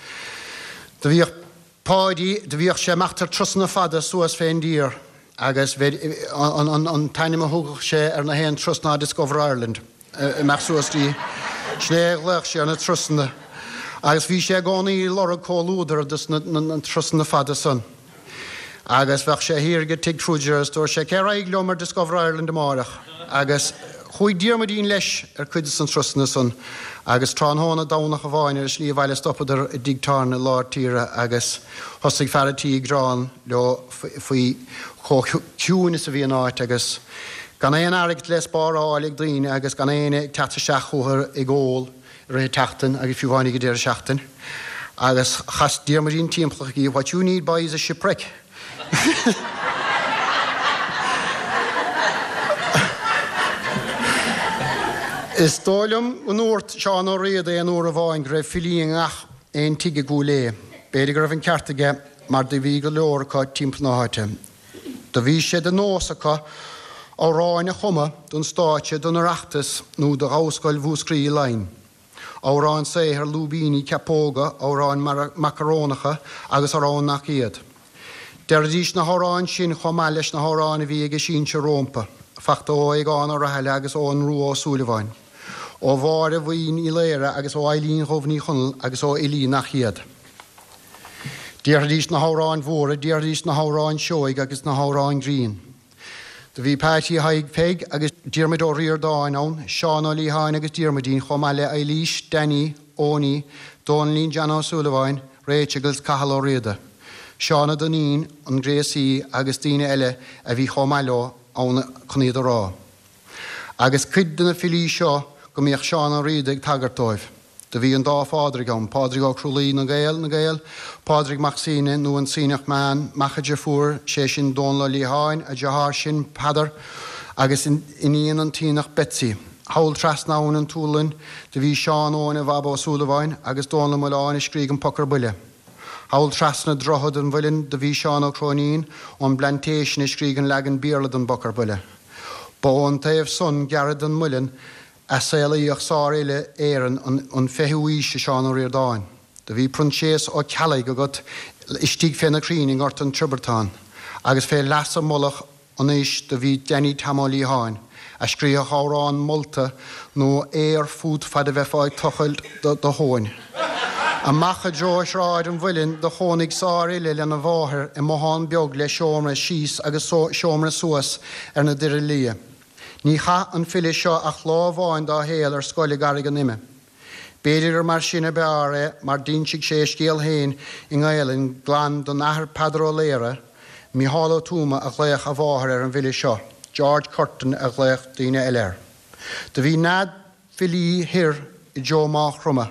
S4: do bhíodh Páidí, do bhíodh sé ag imeacht ar turasanna fada suas fén dtír agus an t-ainm a thugadh sé ar na haon turas ná Discover Ireland. Imeacht suas dtí, sin é a ghlaodh sé ar na turasanna. Agus bhí sé i gcónaí ag lorg comhluadar dos na turasanna fada san. Agus bheadh sé thiar ag Tigh Kruger agus dúirt sé, Cé raghaidh liom ar Discover Ireland amáireach? Agus chuaigh Diarmuidín leis ar cuid de na turasanna san. Agus tráthnóna Domhnach amháin ar a slí abhaile stopadar i dtigh tábhairne i lár tíre agus thosaigh fear a' tí ag gearán leo faoi chomh ciúin is a bhí an áit agus Gan aon airgead le spáráil ag daoine agus gan éinne ag teacht isteach chucu ag ól i rith an tseachtain agus fiú amháin ag an deireadh seachtain. Agus chas Diarmuidín timpeall chuici, What you need boy is a shipwreck. Is dóigh liom go ndúirt Seán Ó Riada aon uair amháin go raibh filí i ngach aon tigh i gCúil Aodha. B'fhéidir go raibh an ceart aige mar do bhí go leor acu timpeall na háite. Do bhí sé de nós acu amhráin a chumadh don stáitse, don Oireachtas nó do Dhamhscoil Mhúscraí i Laighin. Amhráin saothair, lúibíní, ceapóga, amhráin macarónacha agus amhráin nach iad. Deiridís na hamhráin sin chomh maith leis na hamhráin a bhí ag a sinsir rómpa, fachta ó Aogán Ó Rathaille agus ón Rua Ó Súilleabháin, ó Mháire Bhuí Ní Laoire agus ó Eilín Dhubh Ní Chonaill agus ó fhilí nach iad. Déarfaidís na hamhráin mhóra, déarfaidís na hamhráin seoigh agus na hamhráin ghrinn. Do bhí Peaití Thaidhg Pheig agus Diarmuid Ó Ríordáin ann, Seán Ó Liatháin agus Diarmuidín chomh maith le Eilís, Danny, Owenie, Dónaillín John Ó Súilleabháin, Rachel agus Cathal Ó Riada, Seán Ó Duinnín, an gréasaí agus daoine eile a bhí chomh maith leo ann chun iad a rá. Agus cuid de na filí seo go mbíodh Seán Ó Riada ag tagairt dóibh. Do bhí an dá Phádraig ann, Pádraig Ó Crualaoi na Gael, na Gaeil, Pádraig Mac Suibhne nó an Suibhneach Meán, mac a deirfiúr, sé sin Dónal Ó Liatháin, a dheartháir sin Peadar agus iníon an tSiadhnach Betsy. Thall trasna abhainn an tSualainn do bhí Seán Eoin a Bhab Ó Súilleabháin agus Dónal Ó Maoláin a scrígh an Poc ar Buile. Thall trasna Droichead an Mhuilinn do bhí Seán Ó Cróinín ón bPlantation a scrígh an leagan Béarla den bPoc ar Buile. Ba ón taobh san gearra den Muileann a saolaíodh sárfhile Éireann an fichiú aois Seán Ó Ríordáin. Do bhí Proinséas Ó Ceallaigh agat istigh fé na crainn i nGort an Triobartáin, agus fé leasa mullach anois do bhí Danny Tom Ó Liatháin, a scríobhadh amhrán molta nó aor fút fad a bheifeá ag tochailt do thóin. Amach i dtreo Shráid an Mhuilinn do chónaigh sárfhile lena mháthair i mbothán beag le seomra síos agus seomra suas ar na Doirí Liath. Ní chaith an file seo ach lá amháin dá shaol ar scoil i gCarraig an Ime. B'fhéidir gur mar sin ab fhearr é mar d'insigh sé a scéal féin i nGaelainn glan don Athair Peadar Ó Laoire, Micheál Ó Tuama a ghlaodh a mháthair ar an bhfile seo, George Curtin a ghlaodh daoine eile air. Do bhí nead filí thoir i dtreo Mágh Chromtha.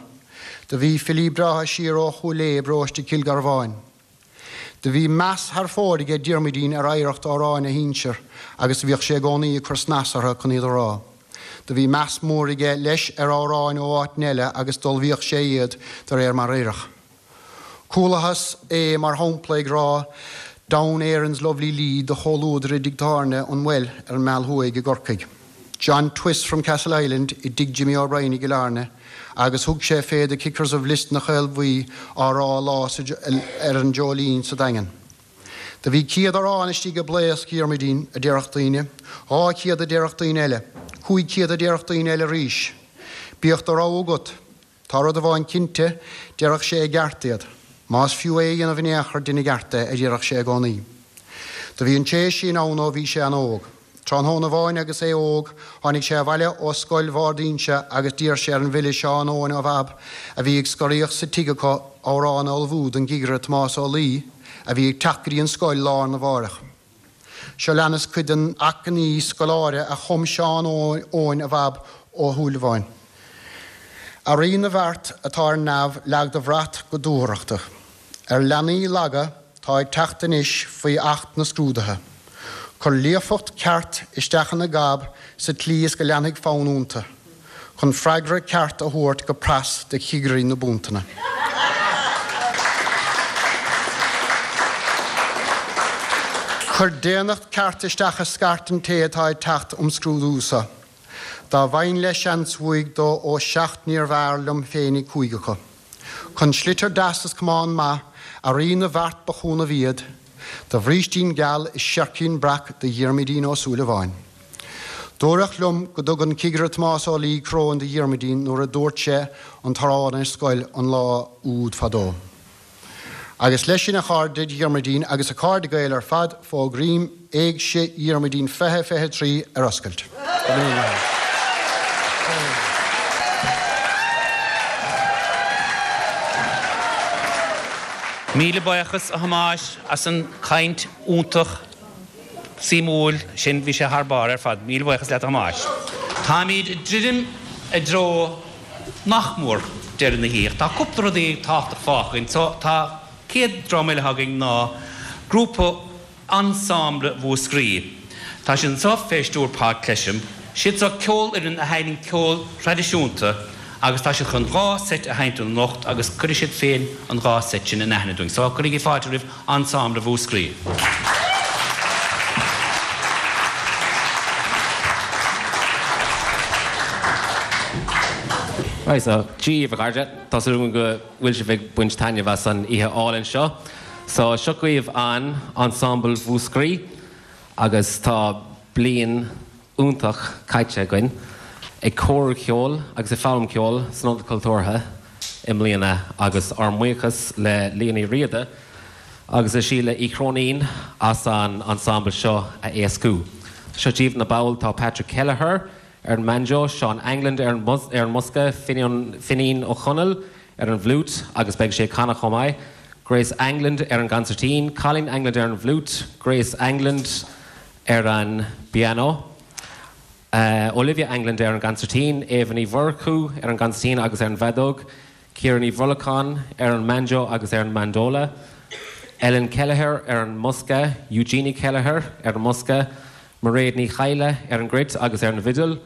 S4: Do bhí filí breátha siar ó Chúil Aodha i bparóiste Chill Garbháin. Do bhí meas thar fóir aige Diarmuidín ar oidhreacht amhráin a shinsear agus do bhíodh sé i gcónaí ag cur snas orthu chun iad a rá. Do bhí meas mór aige leis ar amhráin ó áiteanna eile agus d'ullmhaíodh sé iad de réir mar oirfeadh. Chualathas é mar shampla ag rá Down Erin's Lovely Lee do chomhluadar i dtigh tábhairne an Well ar an Meal Thuaidh i gCorcaigh. John Twiss from Castleisland i dtigh Jimmy O'Brien i gCill Airne agus thug sé fé The Kickers of Lios na Caolbhuí á rá lá ar an Dreoilín sa Daingean. Do bhí céad amhrán istigh i mblaosc Dhiarmuidín, a déarfadh daoine, dhá chéad a déarfadh daoine eile, cúig chéad a déarfadh daoine eile arís. Bíodh do rogha agat. Tá rud amháin cinnte, déarfadh sé i gceart iad. Más fiú é a dhéanamh in aon chor, dein i gceart é, a déarfadh sé i gcónaí. Do bhí an té sin ann ó bhí sé an-óg. Tráthnóna amháin agus é óg, tháinig sé abhaile ó scoil Bhárd Inse agus d'iarr sé ar an bhfile Seán Eoin Ó Bhab, a bhí ag scoraíocht sa tigh acu, amhrán a ullmhú don gcigire Tomás Ó Laoi, a bhí ag teacht go dtí an scoil lá arna mháireach. Seo leanas cuid den achainí scoláire a chum Seán Eoin a Bhab Ó Shúilleabháin. A Rí na bhfeart atá ar neamh leag do bhrat go dúthrachtach. Ar leanaí laga tá ag teacht anois faoi acht na scrúduithe. Cuir líofacht ceart isteach ina gob sa tslí is go leanfaidh fonn iontu, chun freagra ceart a thabhairt go pras do chigirí na bpuntanna. Cuir daonnacht ceart isteach i scairt an té atá ag teacht um scrúdú seo. Dá bhfaighinn le seans uaidh dó ó seacht níorbh fhearr liom féinig cúig acu. Chun sliotar deas is camán maith, a Rí na bhfeart ba chúnamh iad, do bhrístín geal is seircín breac do Dhiarmuidín Ó Súilleabháin. Dúradh liom go dtug an cigire Tomás Ó Laoi coróin do Dhiarmuidín nuair a dúirt sé an t-arán ar scoil an lá úd fadó. Agus leis sin a chairde Dhiarmuidín agus a chairde Gael ar fad fógraím Éigse Dhiarmuidín fiche fiche trí ar oscailt.
S3: Míle buíochas a Thomáis as an chaint iontach suimiúil sin bhí sé thar barr ar fad. Míle buíochas leat a Thomáis. Táimid ag druidim i dtreo nach mór deireadh na hoíche. Tá cúpla rudaí tábhachtach fágtha againn. So tá céad dream eile againn ná grúpa Ensemble Mhúscraí. Tá sin anseo fé stiúir Paul Clesham. Siad seo ceolfhoireann a sheinneann ceol traidisiúnta agus tá siad chun dhá seit a sheinnt anocht agus cuirfidh siad féin an dhá seit sin in aithne dúinn. So cuirigí fáilte roimh Ensemble Mhúscraí.
S5: Right, so Dia daoibh a chairde, Tá súil agam go bhfuil sibh ag baint taitneamh as an oíche álainn seo. So seo chugaibh an Ensemble Mhúscraí agus tá bliain iontach caite againn ag cóiriú ceoil agus ag foghlaim ceoil san Ionad Cultúrtha i mbliana agus ár mbuíochas le Liadh Ní Riada agus le Síle Uí Chróinín as an ensemble seo a éascú. Seo daoibh na baill tá Patrick Kelleher ar an mbanjo, Seán England ar an ar an mbosca, Finín Ó Chonaill ar an bhfliúit agus beidh sé ag canadh chomh maith, Grace England ar an gconsairtín, Colleen England ar an bhfliúit, Grace England ar an bpianó, Uh, Olivia England ar an gconsairtín, Eva Ní Mhurchú ar an gconsairtín agus ar an bhfeadóg, Ciara Ní Bhrolacháin ar an mbanjo agus ar an mandola, Ellen Kelleher ar an mbosca, Eugenie Kelleher ar an mbosca, Mairéad Ní Chaile ar an gcruit agus ar an bhfidil,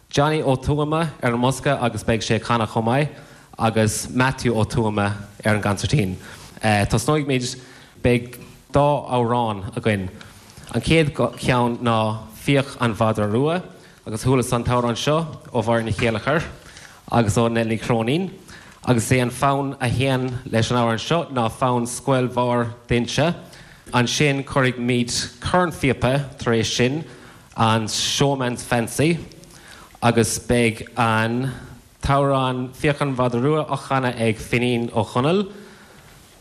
S5: Johnny Ó Tuama ar an mbosca agus beidh sé ag canadh chomh maith, agus Matthew Ó Tuama ar an gconsairtín. Uh, Tosnóidh beidh dá amhrán againn. An chéad cheann ná Fiach an Mhadra Rua, agus chualas an t-amhrán seo ó Mháire Ní Chéilleachair agus ó Nell Ní Chróinín, agus é an fonn a théann leis an amhrán seo ná fonn Scoil Bharr d'Inse. Ansin cuirfimid cornphíopa tar éis sin an Showman's Fancy, agus beidh an t-amhrán Fiach an Mhadra Rua á chanadh ag Finín Ó Chonaill,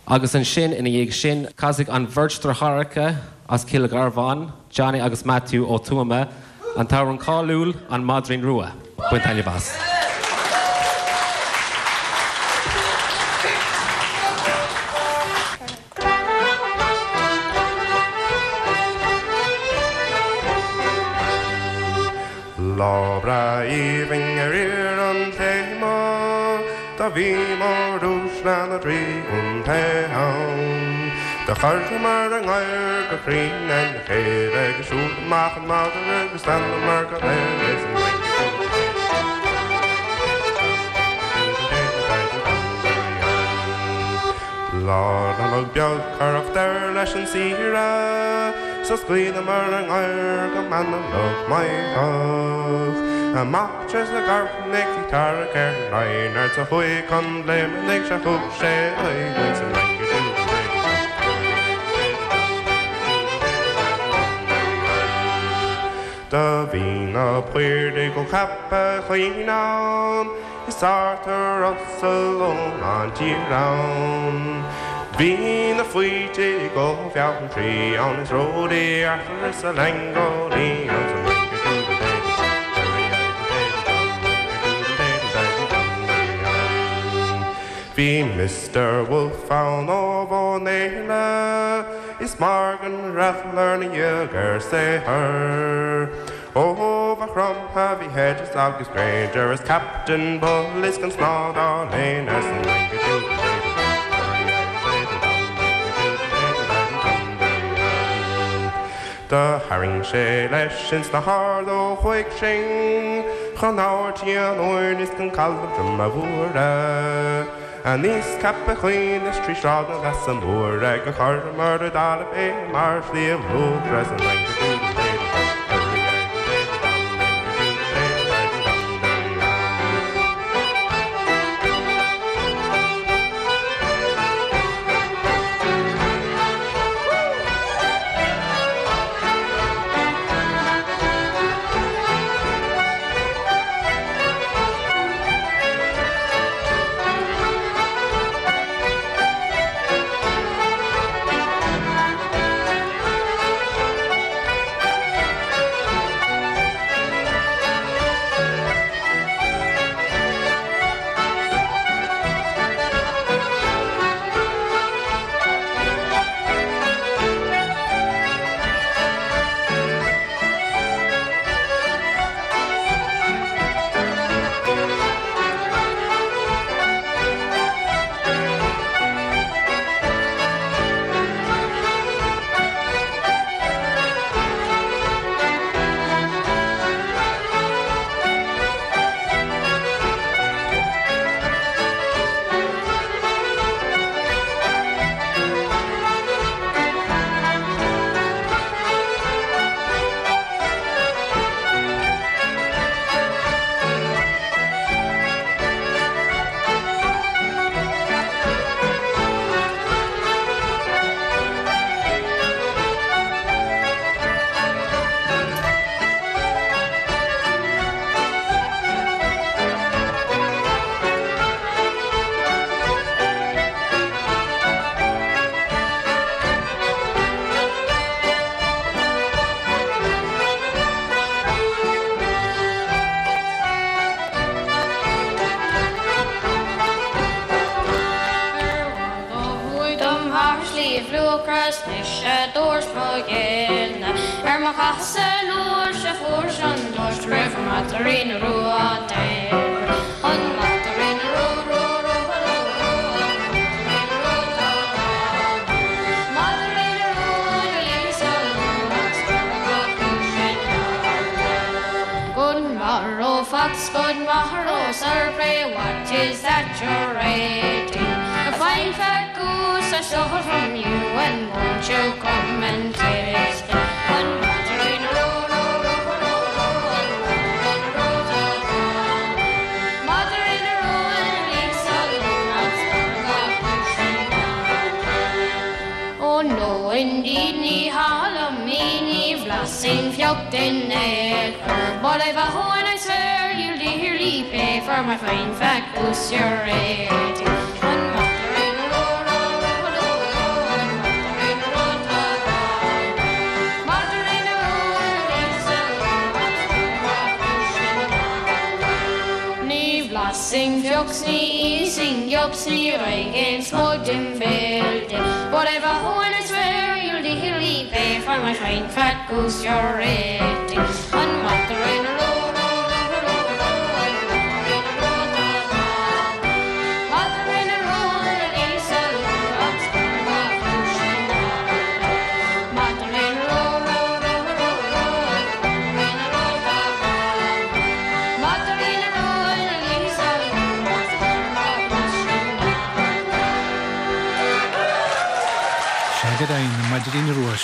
S5: agus ansin ina dhiaidh sin casfaidh an bheirt deartháireacha as Cill Gharbháin, Johnny agus Matthew Ó Tuama, an t-amhrán cáiliúil an Maidrín Rua. Bain taitneamh as.
S6: Lá breá aoibhinn ar iarthar an téama, Do bhíomar uaisle na dtrí chontae ann. Do chuireamar ár ngadhair go cruinn lena chéile agus siúd amach an madra agus d'fhanamar go léir is an Lá Nollag beag cuireadh deireadh leis an saoire, So scaoileamar ár ngadhair go meanmnach maítheach. Amach trasna Carthannaigh bhí tarrac ar an Raghnard 's a chuaigh chun Bhléimeannaigh 'sea thug sé aghaidh san Fhrainc Do bhí na Piardaigh ó Cheapach Chuinn ann, Is Arthur Russell ón an tír ann. Bhí na Faoitigh ó Bheanntraí ann, Is Ródaí Arthur is a Langonaí ann san Bhí Mr Wolf ann ó Bhónéile is Morgan Rattler na dhiaidh ar saothar. Ó ba chromtha bhí Hedges agus Granger is Captain Bull is gan snáth dá léine as an Do tharraing sé leis ins na hArd ó chuaigh sinn chun Ard an Fheoirn is chun caladh Droma Mhóire. Aníos Ceapach Chuinn is trí Sráid na Leasa Móire gur chuireamar i dtalamh é mar Shliabh Luachra is an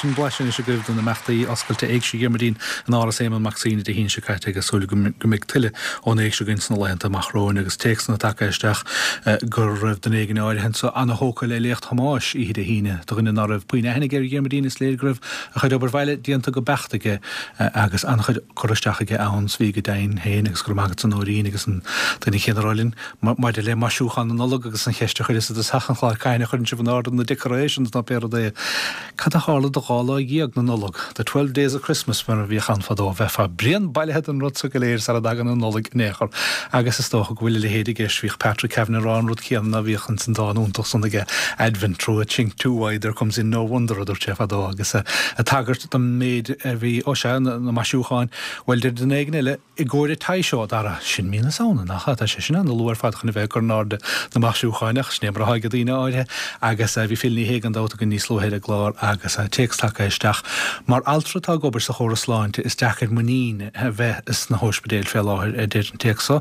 S1: Sin blaiseadh anois agaibh de na imeachtaí oscailte Éigse Dhiarmuidín in Áras Éamonn Mac Suibhne Dé hAoine seo caite agus súil go mbeidh tuilleadh ón éigse againn sna laethanta amach romhainn agus téacsanna tagtha isteach go raibh duine éigin áirithe anseo ana-thógtha le léacht Thomáis oíche Dé hAoine do dhuine ná raibh puinn aithne aige ar Dhiarmuidín is léir go raibh a chuid obair bhaile déanta go beacht aige agus an-chuid cur isteach aige ann 's bhí go deimhin féin agus go raibh maith agat a Nóirín agus an duine céanna a rá linn maidir le maisiúchán na Nollag agus an cheist a chuireas i dtosach an chláir cathain a chuireann sibh in ord na decorations nó pé rud é. Cad a tharla do dhá lá dhéag na Nollag, the twelve days of Christmas mar a bhíodh ann fadó, bheifeá bréan bailithe den rud so go léir sara dtagann an Nollaig in aon chor agus is dócha go bhfuil a leithéid i gceist, bhíodh Patrick Kavanagh ag rá an rud céanna, bhíodh ins an dán iontach san aige, Advent through a chink too wide there comes in no wonder a dúirt sé fadó agus ag tagairt don méid a bhí, ó sea, na maisiúcháin, bhuel deir duine éigin eile, i gcomhair an tí seo, Dara, sin mí na Samhna, nach ea? Tá sé sin an-luath ar fad chun a bheith ag cur in airde na maisiúcháin, ach sin é mar atá ag daoine áirithe. Agus bhí Phil Ní Sheaghdha gan dabht againn níos luaithe ar an gclár agus téacs tagtha isteach. Mar altra atá ag obair sa chóras sláinte, is deacair muinín a bheith sna hóispidéil fé láthair, a deir an téacs seo.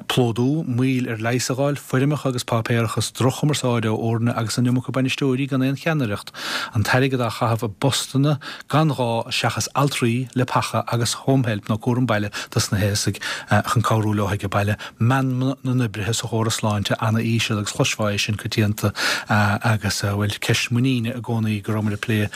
S1: Plódú, moill ar leigheas a fháil, foirmeacha agus páipéarachas, droch-chumarsáid ó fhoirne agus an iomarca bainisteoirí gan aon cheannaireacht, an t-airgead á chaitheamh i bpostanna gan ghá seachas altraí, leapacha agus home help nó cúram baile dos na haosaigh chun cabhrú leo ag baile. Meanma na n-oibrithe sa chóras sláinte ana-íseal agus chloisfeá é sin coitianta agus, bhuel, ceist muiníne i gcónaí go rabhamar ag plé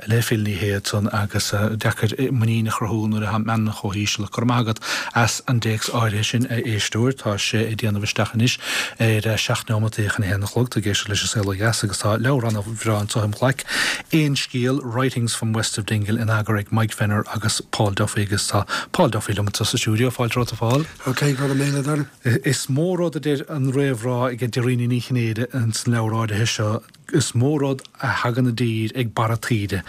S1: le Phil Ní Sheaghdha ansan agus deacair muinín a chruthú nuair atá meanma chomh híseal. Ach go raibh maith agat as an dtéacs áirithe sin, a éisteoir. Tá sé ag déanamh isteach anois ar seacht neomat chun a haon a chlog. Tá ag éisteacht leis An Saol Ó Dheas agus tá leabhar ana-bhreá anseo im ghlaic, Aon Scéal, Writings from West of Dingle in eagar ag Mike Fenner agus Paul Duffy agus tá Paul Duffy liom sa stiúideo, fáilte romhat a Phóil.
S7: Ok, go raibh míle Dara.
S1: Is mó rud a deir an réamhrá ag Dairena Ní Chinnéide ins an leabhar áirithe seo, is mó rud a thagann i dtír ag barra taoide.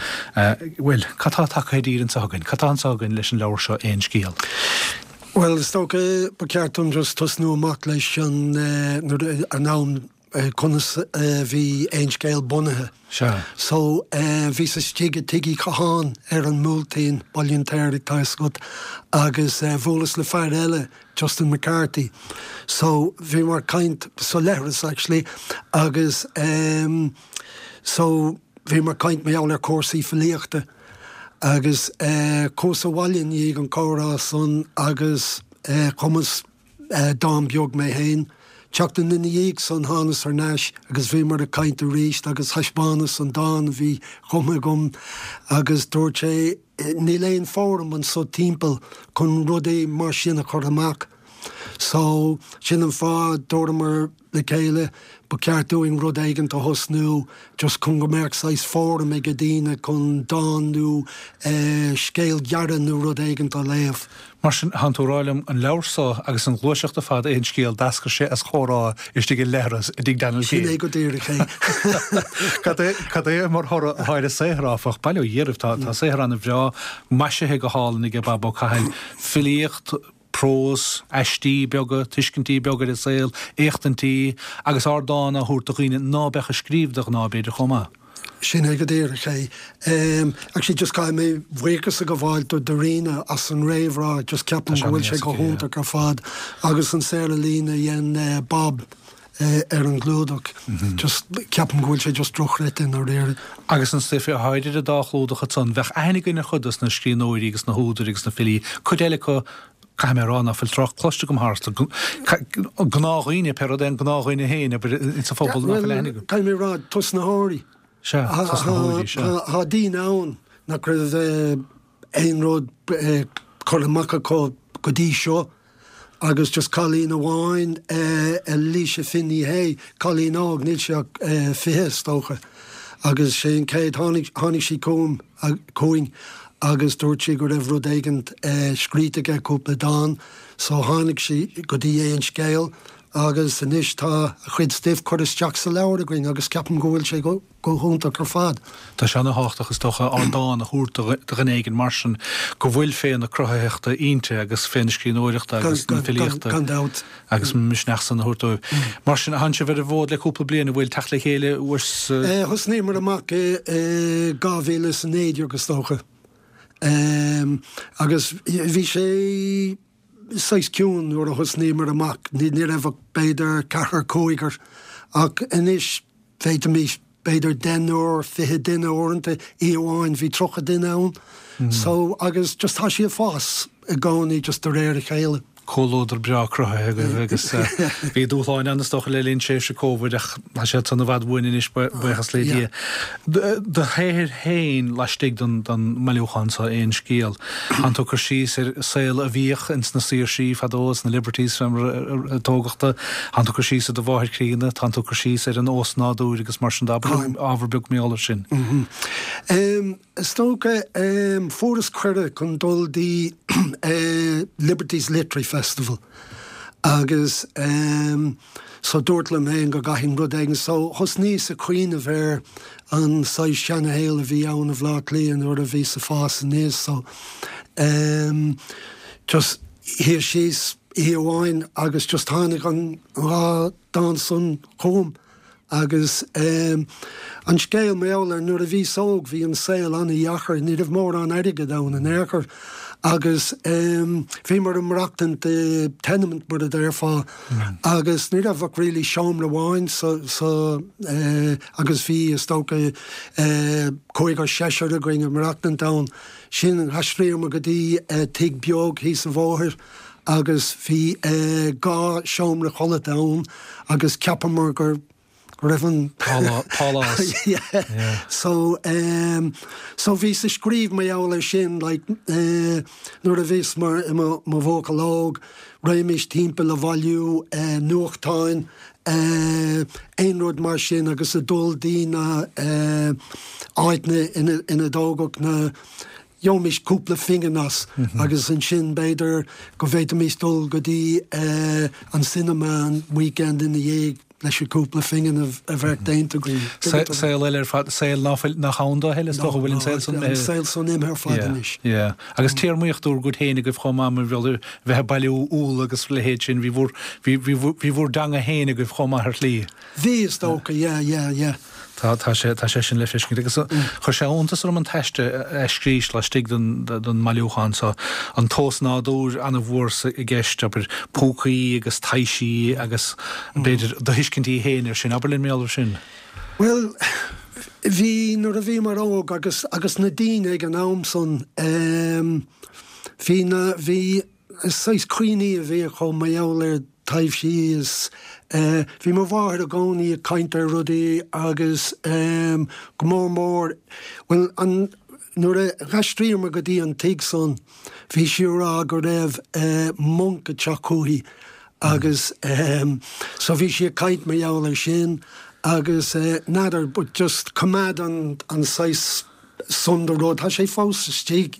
S1: Bhuel, cad tá tagtha i dtír anseo againn? Cad tá anseo againn leis an leabhar seo Aon Scéal?
S7: Bhuel, is dócha ba cheart dom just tosnú amach leis an nuair an am conas a bhí Aon Scéal bunaithe.
S1: Sea.
S7: So bhíos istigh i Tigh Uí Chatháin ar an mBuailtín, Baile an tSaoraigh, tá fhios agat, agus bhuaileas le fear eile, Justin McCarthy. So bhíomar ag caint sa leithreas actually agus um, so bhíomar ag caint mar gheall ar cúrsaí filíochta agus uh, chuas abhaile i ndiaidh an comhrá san agus uh, chumas uh, dán beag mé féin. Seachtain ina dhiaidh san thánas thar n-ais agus bhíomar ag caint arís agus thaispeánas an dán a bhí cumtha agam agus dúirt sé níl aon fóram anso timpeall chun rudaí mar sin a chur amach. So sin an fáth dúramar le chéile ba cheart dúinn rud éigin a thosnú just chun go mbeadh saghas fóram ag daoine chun dán nó eh, scéal gearr nó rud éigin a léamh.
S1: Mar sin tánn tú ag rá liom an leabhar seo agus an ghluaiseacht ar fad Aon Scéal d'eascair sé as chomhrá istigh i leithreas i dtigh Daniel
S7: Sin é go díreach é.
S1: Cad é cad é mar thoradh atá ar an saothar áfach, bail ó Dhia oraibh tá tá saothar ana-bhreá maisithe go hálainn ag Bob Ó Cathail, filíocht, prós, aistí beaga, tuiscintí beaga ar an saol, éachtaintí agus ardán á thabhairt do dhaoine ná beadh ag scríobh de ghnáth b'fhéidir chomh maith.
S7: Sin é go díreach é. Um, actually just caithfidh mé buíochas a ghabháil do Dairena as an réamhrá, just ceapaim go bhfuil sé go hiontach ar fad agus an saothar ealaíne a dhein uh, Bob uh, ar an gclúdach. Mm -hmm. Just ceapaim go bhfuil sé just dochreidte i ndáiríre.
S1: Agus an stuif a tháidir a dá chlúdach ansan bheadh aithne againn ar chuid dos na scríbhneoirí agus na húdair agus na filí, cuid eile acu caithfidh mé a rá ná fuil trácht cloiste agam tharstu gnáthdhaoine pé rud é an gnáthdhuine féin abair sa phobal ná fuil aithne agam.
S7: Caithfidh mé a rá tosnaitheoirí.
S1: Sea, tosnaitheoirí, sea.
S7: Tá daoine ann nach raibh aon rud curtha amach acu go dtí seo agus just cailín amháin Alicia Finney Hay, cailín óg níl sí ach fiche is dócha. Agus sé an chéad tháinig sí chugam chugainn agus dúirt sí go raibh rud éigin scríte aici cúpla dán, so tháinig sí go dtí Aon Scéal agus anois tá a chuid stuif curtha isteach sa leabhar againn agus ceapaim go bhfuil sé go go hiontach ar fad.
S1: Tá sé ana-thábhachtach is dócha ardán a thabhairt do dhuine éigin mar sin go bhfuil féith na cruthaitheachta inti agus féith na scríbhneoireachta agus na filíochta
S7: Gan dabht.
S1: agus misneach san a thabhairt dóibh. Mar sin tánn sibh ar an bhfód le cúpla bliain a bhfuil teacht le chéile uair
S7: Eh, Thosnaíomar amach i dhá mhíle is a naoi déag is dócha. Um, agus bhí sé saghas ciúin nuair a thosnaíomar amach, ní ní raibh ach b'fhéidir ceathrar cúigear ach anois féadfaimid b'fhéidir deichniúr fiche duine uaireanta oíche amháin bhí tríocha duine ann. Mm. So agus just tá sí ag fás i gcónaí just de réir a chéile.
S1: Comhluadar breá cruthaithe agaibh agus bhí dúshláin ann is dócha le linn tréimhse Covid ach tá siad san i bhfad uainn anois buíochas le Dia. Do shaothar féin laistigh den mbailiúchán seo Aon Scéal. Tánn tú ag cur síos ar saol a bhíodh ins na saoirsí fadó, sna Liberties fé mar a tógadh tú. Tánn tú ag cur síos ar do mháthair chríonna, tánn tú ag cur síos ar an ósnádúr agus mar sin de. Abair liom ábhar beag mar gheall air sin.
S7: Is dócha, fuaireas cuireadh chun dul dtí Liberties Literary Festival agus so dúrt liom féin go gcaithfinn rud éigin so thosnaíos ag cuimhneamh ar an saghas seanashaol a bhí ann i mBleá Cliath nuair a bhíos ag fás aníos so just shuíos síos oíche amháin agus just tháinig an dhá dán san chugam. Agus an scéal mar gheall air, nuair a bhíos óg bhí an saol an-dheacair, ní raibh mórán airgid ann in aon chor agus bhíomar ag maireachtaint i tenement mar a déarfá agus ní raibh ach really seomra amháin sa, sa, agus bhí is dócha cúigear seisear againn ag maireachtaint ann. Sin d'aistríomar go dtí tigh beag thíos an bhóthair agus bhí dhá seomra codlata ann agus cheapamar gur go raibh an
S1: Pálás.
S7: Yeah. So um, so bhíos ag scríobh mar gheall air sin like eh, nuair a bhíos mar i mo mo bhuachaill óg, raghaimis timpeall a bhailiú eh, nuachtáin eh, aon rud mar sin agus a dul dtí na eh, áiteanna ina ina dtógadh na Gheobhaimis cúpla phingin as agus ansin b'fhéidir go bhféadfaimis dul go dtí an cinema an weekend ina dhiaidh leis an cúpla phingin a bheadh déanta againn.
S1: Saol eile ar fad, saol nach ann dó a thuilleadh, is dócha, bhfuil an saol san
S7: imithe. An saol san imithe ar fad anois.
S1: Yeah. Agus téarmaíocht bhur gcuid féin agaibh chomh maith mar bheadh a bheith ag bailiú úll agus a leithéid sin, bhí bhur, bhí, bhí bhur dteanga féin agaibh chomh maith ar shlí.
S7: Bhí, is dócha, yeah, yeah, yeah.
S1: Tá, tá sé, tá sé sin le feiscint. Agus chuir sé iontas orm an t-aiste a scrís laistigh den, den mbailiúchán so, an t-ósnádúr an-mhór sa, i gceist, abair, púcaí agus taibhsí agus b'fhéidir do thuiscintí féin air sin. Abair linn mar gheall air sin.
S7: Bhuel, bhí, nuair a bhíomar óg agus, agus na daoine ag an am san, ehm, bhí na, bhí saghas cuimhní a bhí acu mar gheall ar taibhsí is bhí mo mháthair i gcónaí ag caint ar rudaí agus go mór mór, bhuel, an, nuair a d'aistríomar go dtí an tigh san, bhí sí ag rá go raibh monc ag teacht chúithi agus so bhí sí ag caint mar gheall ar sin agus n'fheadar but just coimeád an, an saghas san de rud, tá sé fós istigh.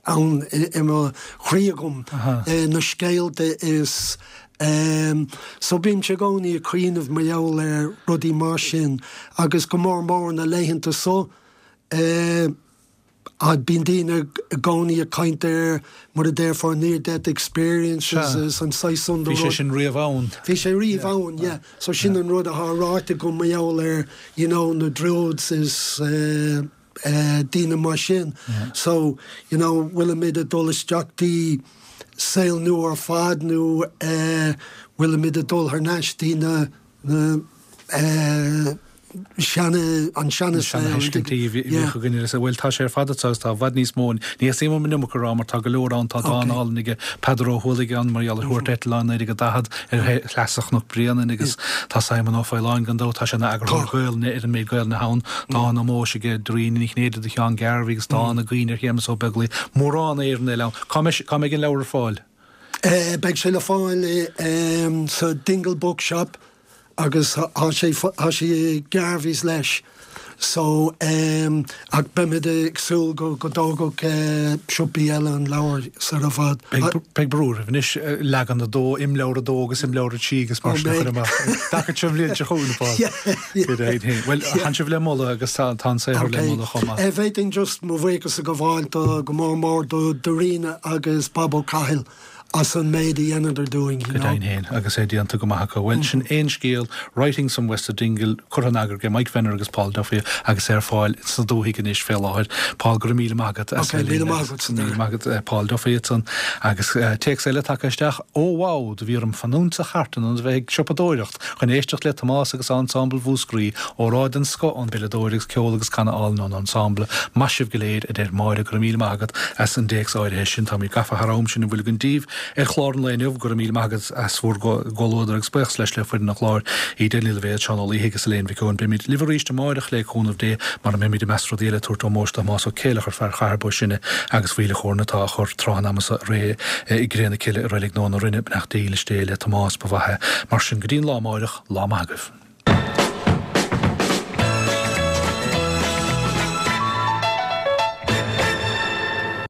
S7: ann i mo chroí agam, na scéalta is so bímse i gcónaí ag cuimhneamh mar gheall ar rudaí mar sin agus go mór mór na laethanta so bíonn daoine i gcónaí ag caint ar mar a déarfá near death experiences is an saghas san de
S1: rud. Bhí sé sin riamh ann.
S7: Bhí sé riamh ann, yeah. So sin an rud atá ráite agam mar gheall ar you know na druids is daoine mar sin. So, you know, bhfuilimid ag dul isteach dtí saol nua ar fad nó bhfuilimid ag dul thar n-ais dtí na, na seana, an seana saol.
S1: Na seana-thuiscintí a bhíodh againn ar an saol. Bhuel, tá sé ar fad anseo agus tá i bhfad níos mó. Ní theastaíonn uaim an iomarca a rá mar tá go leor ann, tá dán álainn aige Peadar Ó hUallaigh ann mar gheall ar thuairt eitleáin naoi déag daichead ar shleasa Chnoc Bréanainn agus tá Simon Ó Faoláin gan dabht, tá sé ina eagarthóir Gaelainne ar an méid Gaelainne atá ann, dán ómóis aige Doirín Ní Chinnéide do Sheán Garvey agus dán i gcuimhne ar Shéamus Ó Beaglaoich, mórán Éireann eile ann. Cá mbeidh cá mbeidh an leabhar ar fáil?
S7: Beidh sé le fáil sa Dingle Bookshop agus tá sé tá sé i Garveys leis. So ach beimid ag súil go go dtógfadh siopaí eile an leabhar sar i bhfad.
S1: Beidh brú oraibh anois leagan a dó, imleabhar a dó agus imleabhar a trí agus mar sin a chur amach. Dtaca seo bhliain seo chugainn, Paul. Bhuel, tánn sibh le moladh agus tá an saothar le moladh chomh maith.
S7: Bhféadfainn just mo bhuíochas a ghabháil do go mór mór do Dhoirín agus Bob Ó Cathail as an méid a dhéanadar dúinn, you
S1: Go
S7: know.
S1: deimhin féin, agus é déanta go maith acu. Bhuel, sin Aon Scéal, Writings from West of Dingle, curtha in eagar ag Mike Venner agus Paul Duffy agus é ar fáil sna dúthaigh anois fé láthair. Paul, go raibh míle maith agat as
S7: Ok,
S1: bheith
S7: míle
S1: linn
S7: maith
S1: agus
S7: agat,
S1: míle
S7: Dara.
S1: maith agat, Paul Duffy ansan. Agus téacs eile tagtha isteach, Ó wow, do bhí orm fanúint sa chartlann in ionad a bheith ag siopadóireacht chun éisteacht le Tomás agus Ensemble Mhúscraí, óráid den scoth ón bpeileadóir agus ceol agus canadh álainn ón ensemble. Maith sibh go léir, a deir Máire. Go raibh míle maith agat as an dtéacs áirithe sin. Táimid gafa thar am sin a bhfuil againn daoibh. ar chlár an lae inniu. Go raibh míle maith agat as bhur gcomhluadar agus buíochas leis le foireann an chláir, Edel Ní Loibhéad, Seán Ó Laoithe agus Elaine Mhic Eoin. Beimid libh arís amáireach le cúnamh Dé mar a mbeimid i measc rudaí eile ag tabhairt ómóis do Thomás Ó Céileachair, fear Chathair Bó Sine agus Mhíle Chóirne atá á chur tráth an ama seo réidh i gcré na cille i Reilig Nua na Rinne. Beannacht dhílis Dé le Tomás, ba mhaith é. Mar sin, go dtí an lá amáireach, lá maith agaibh.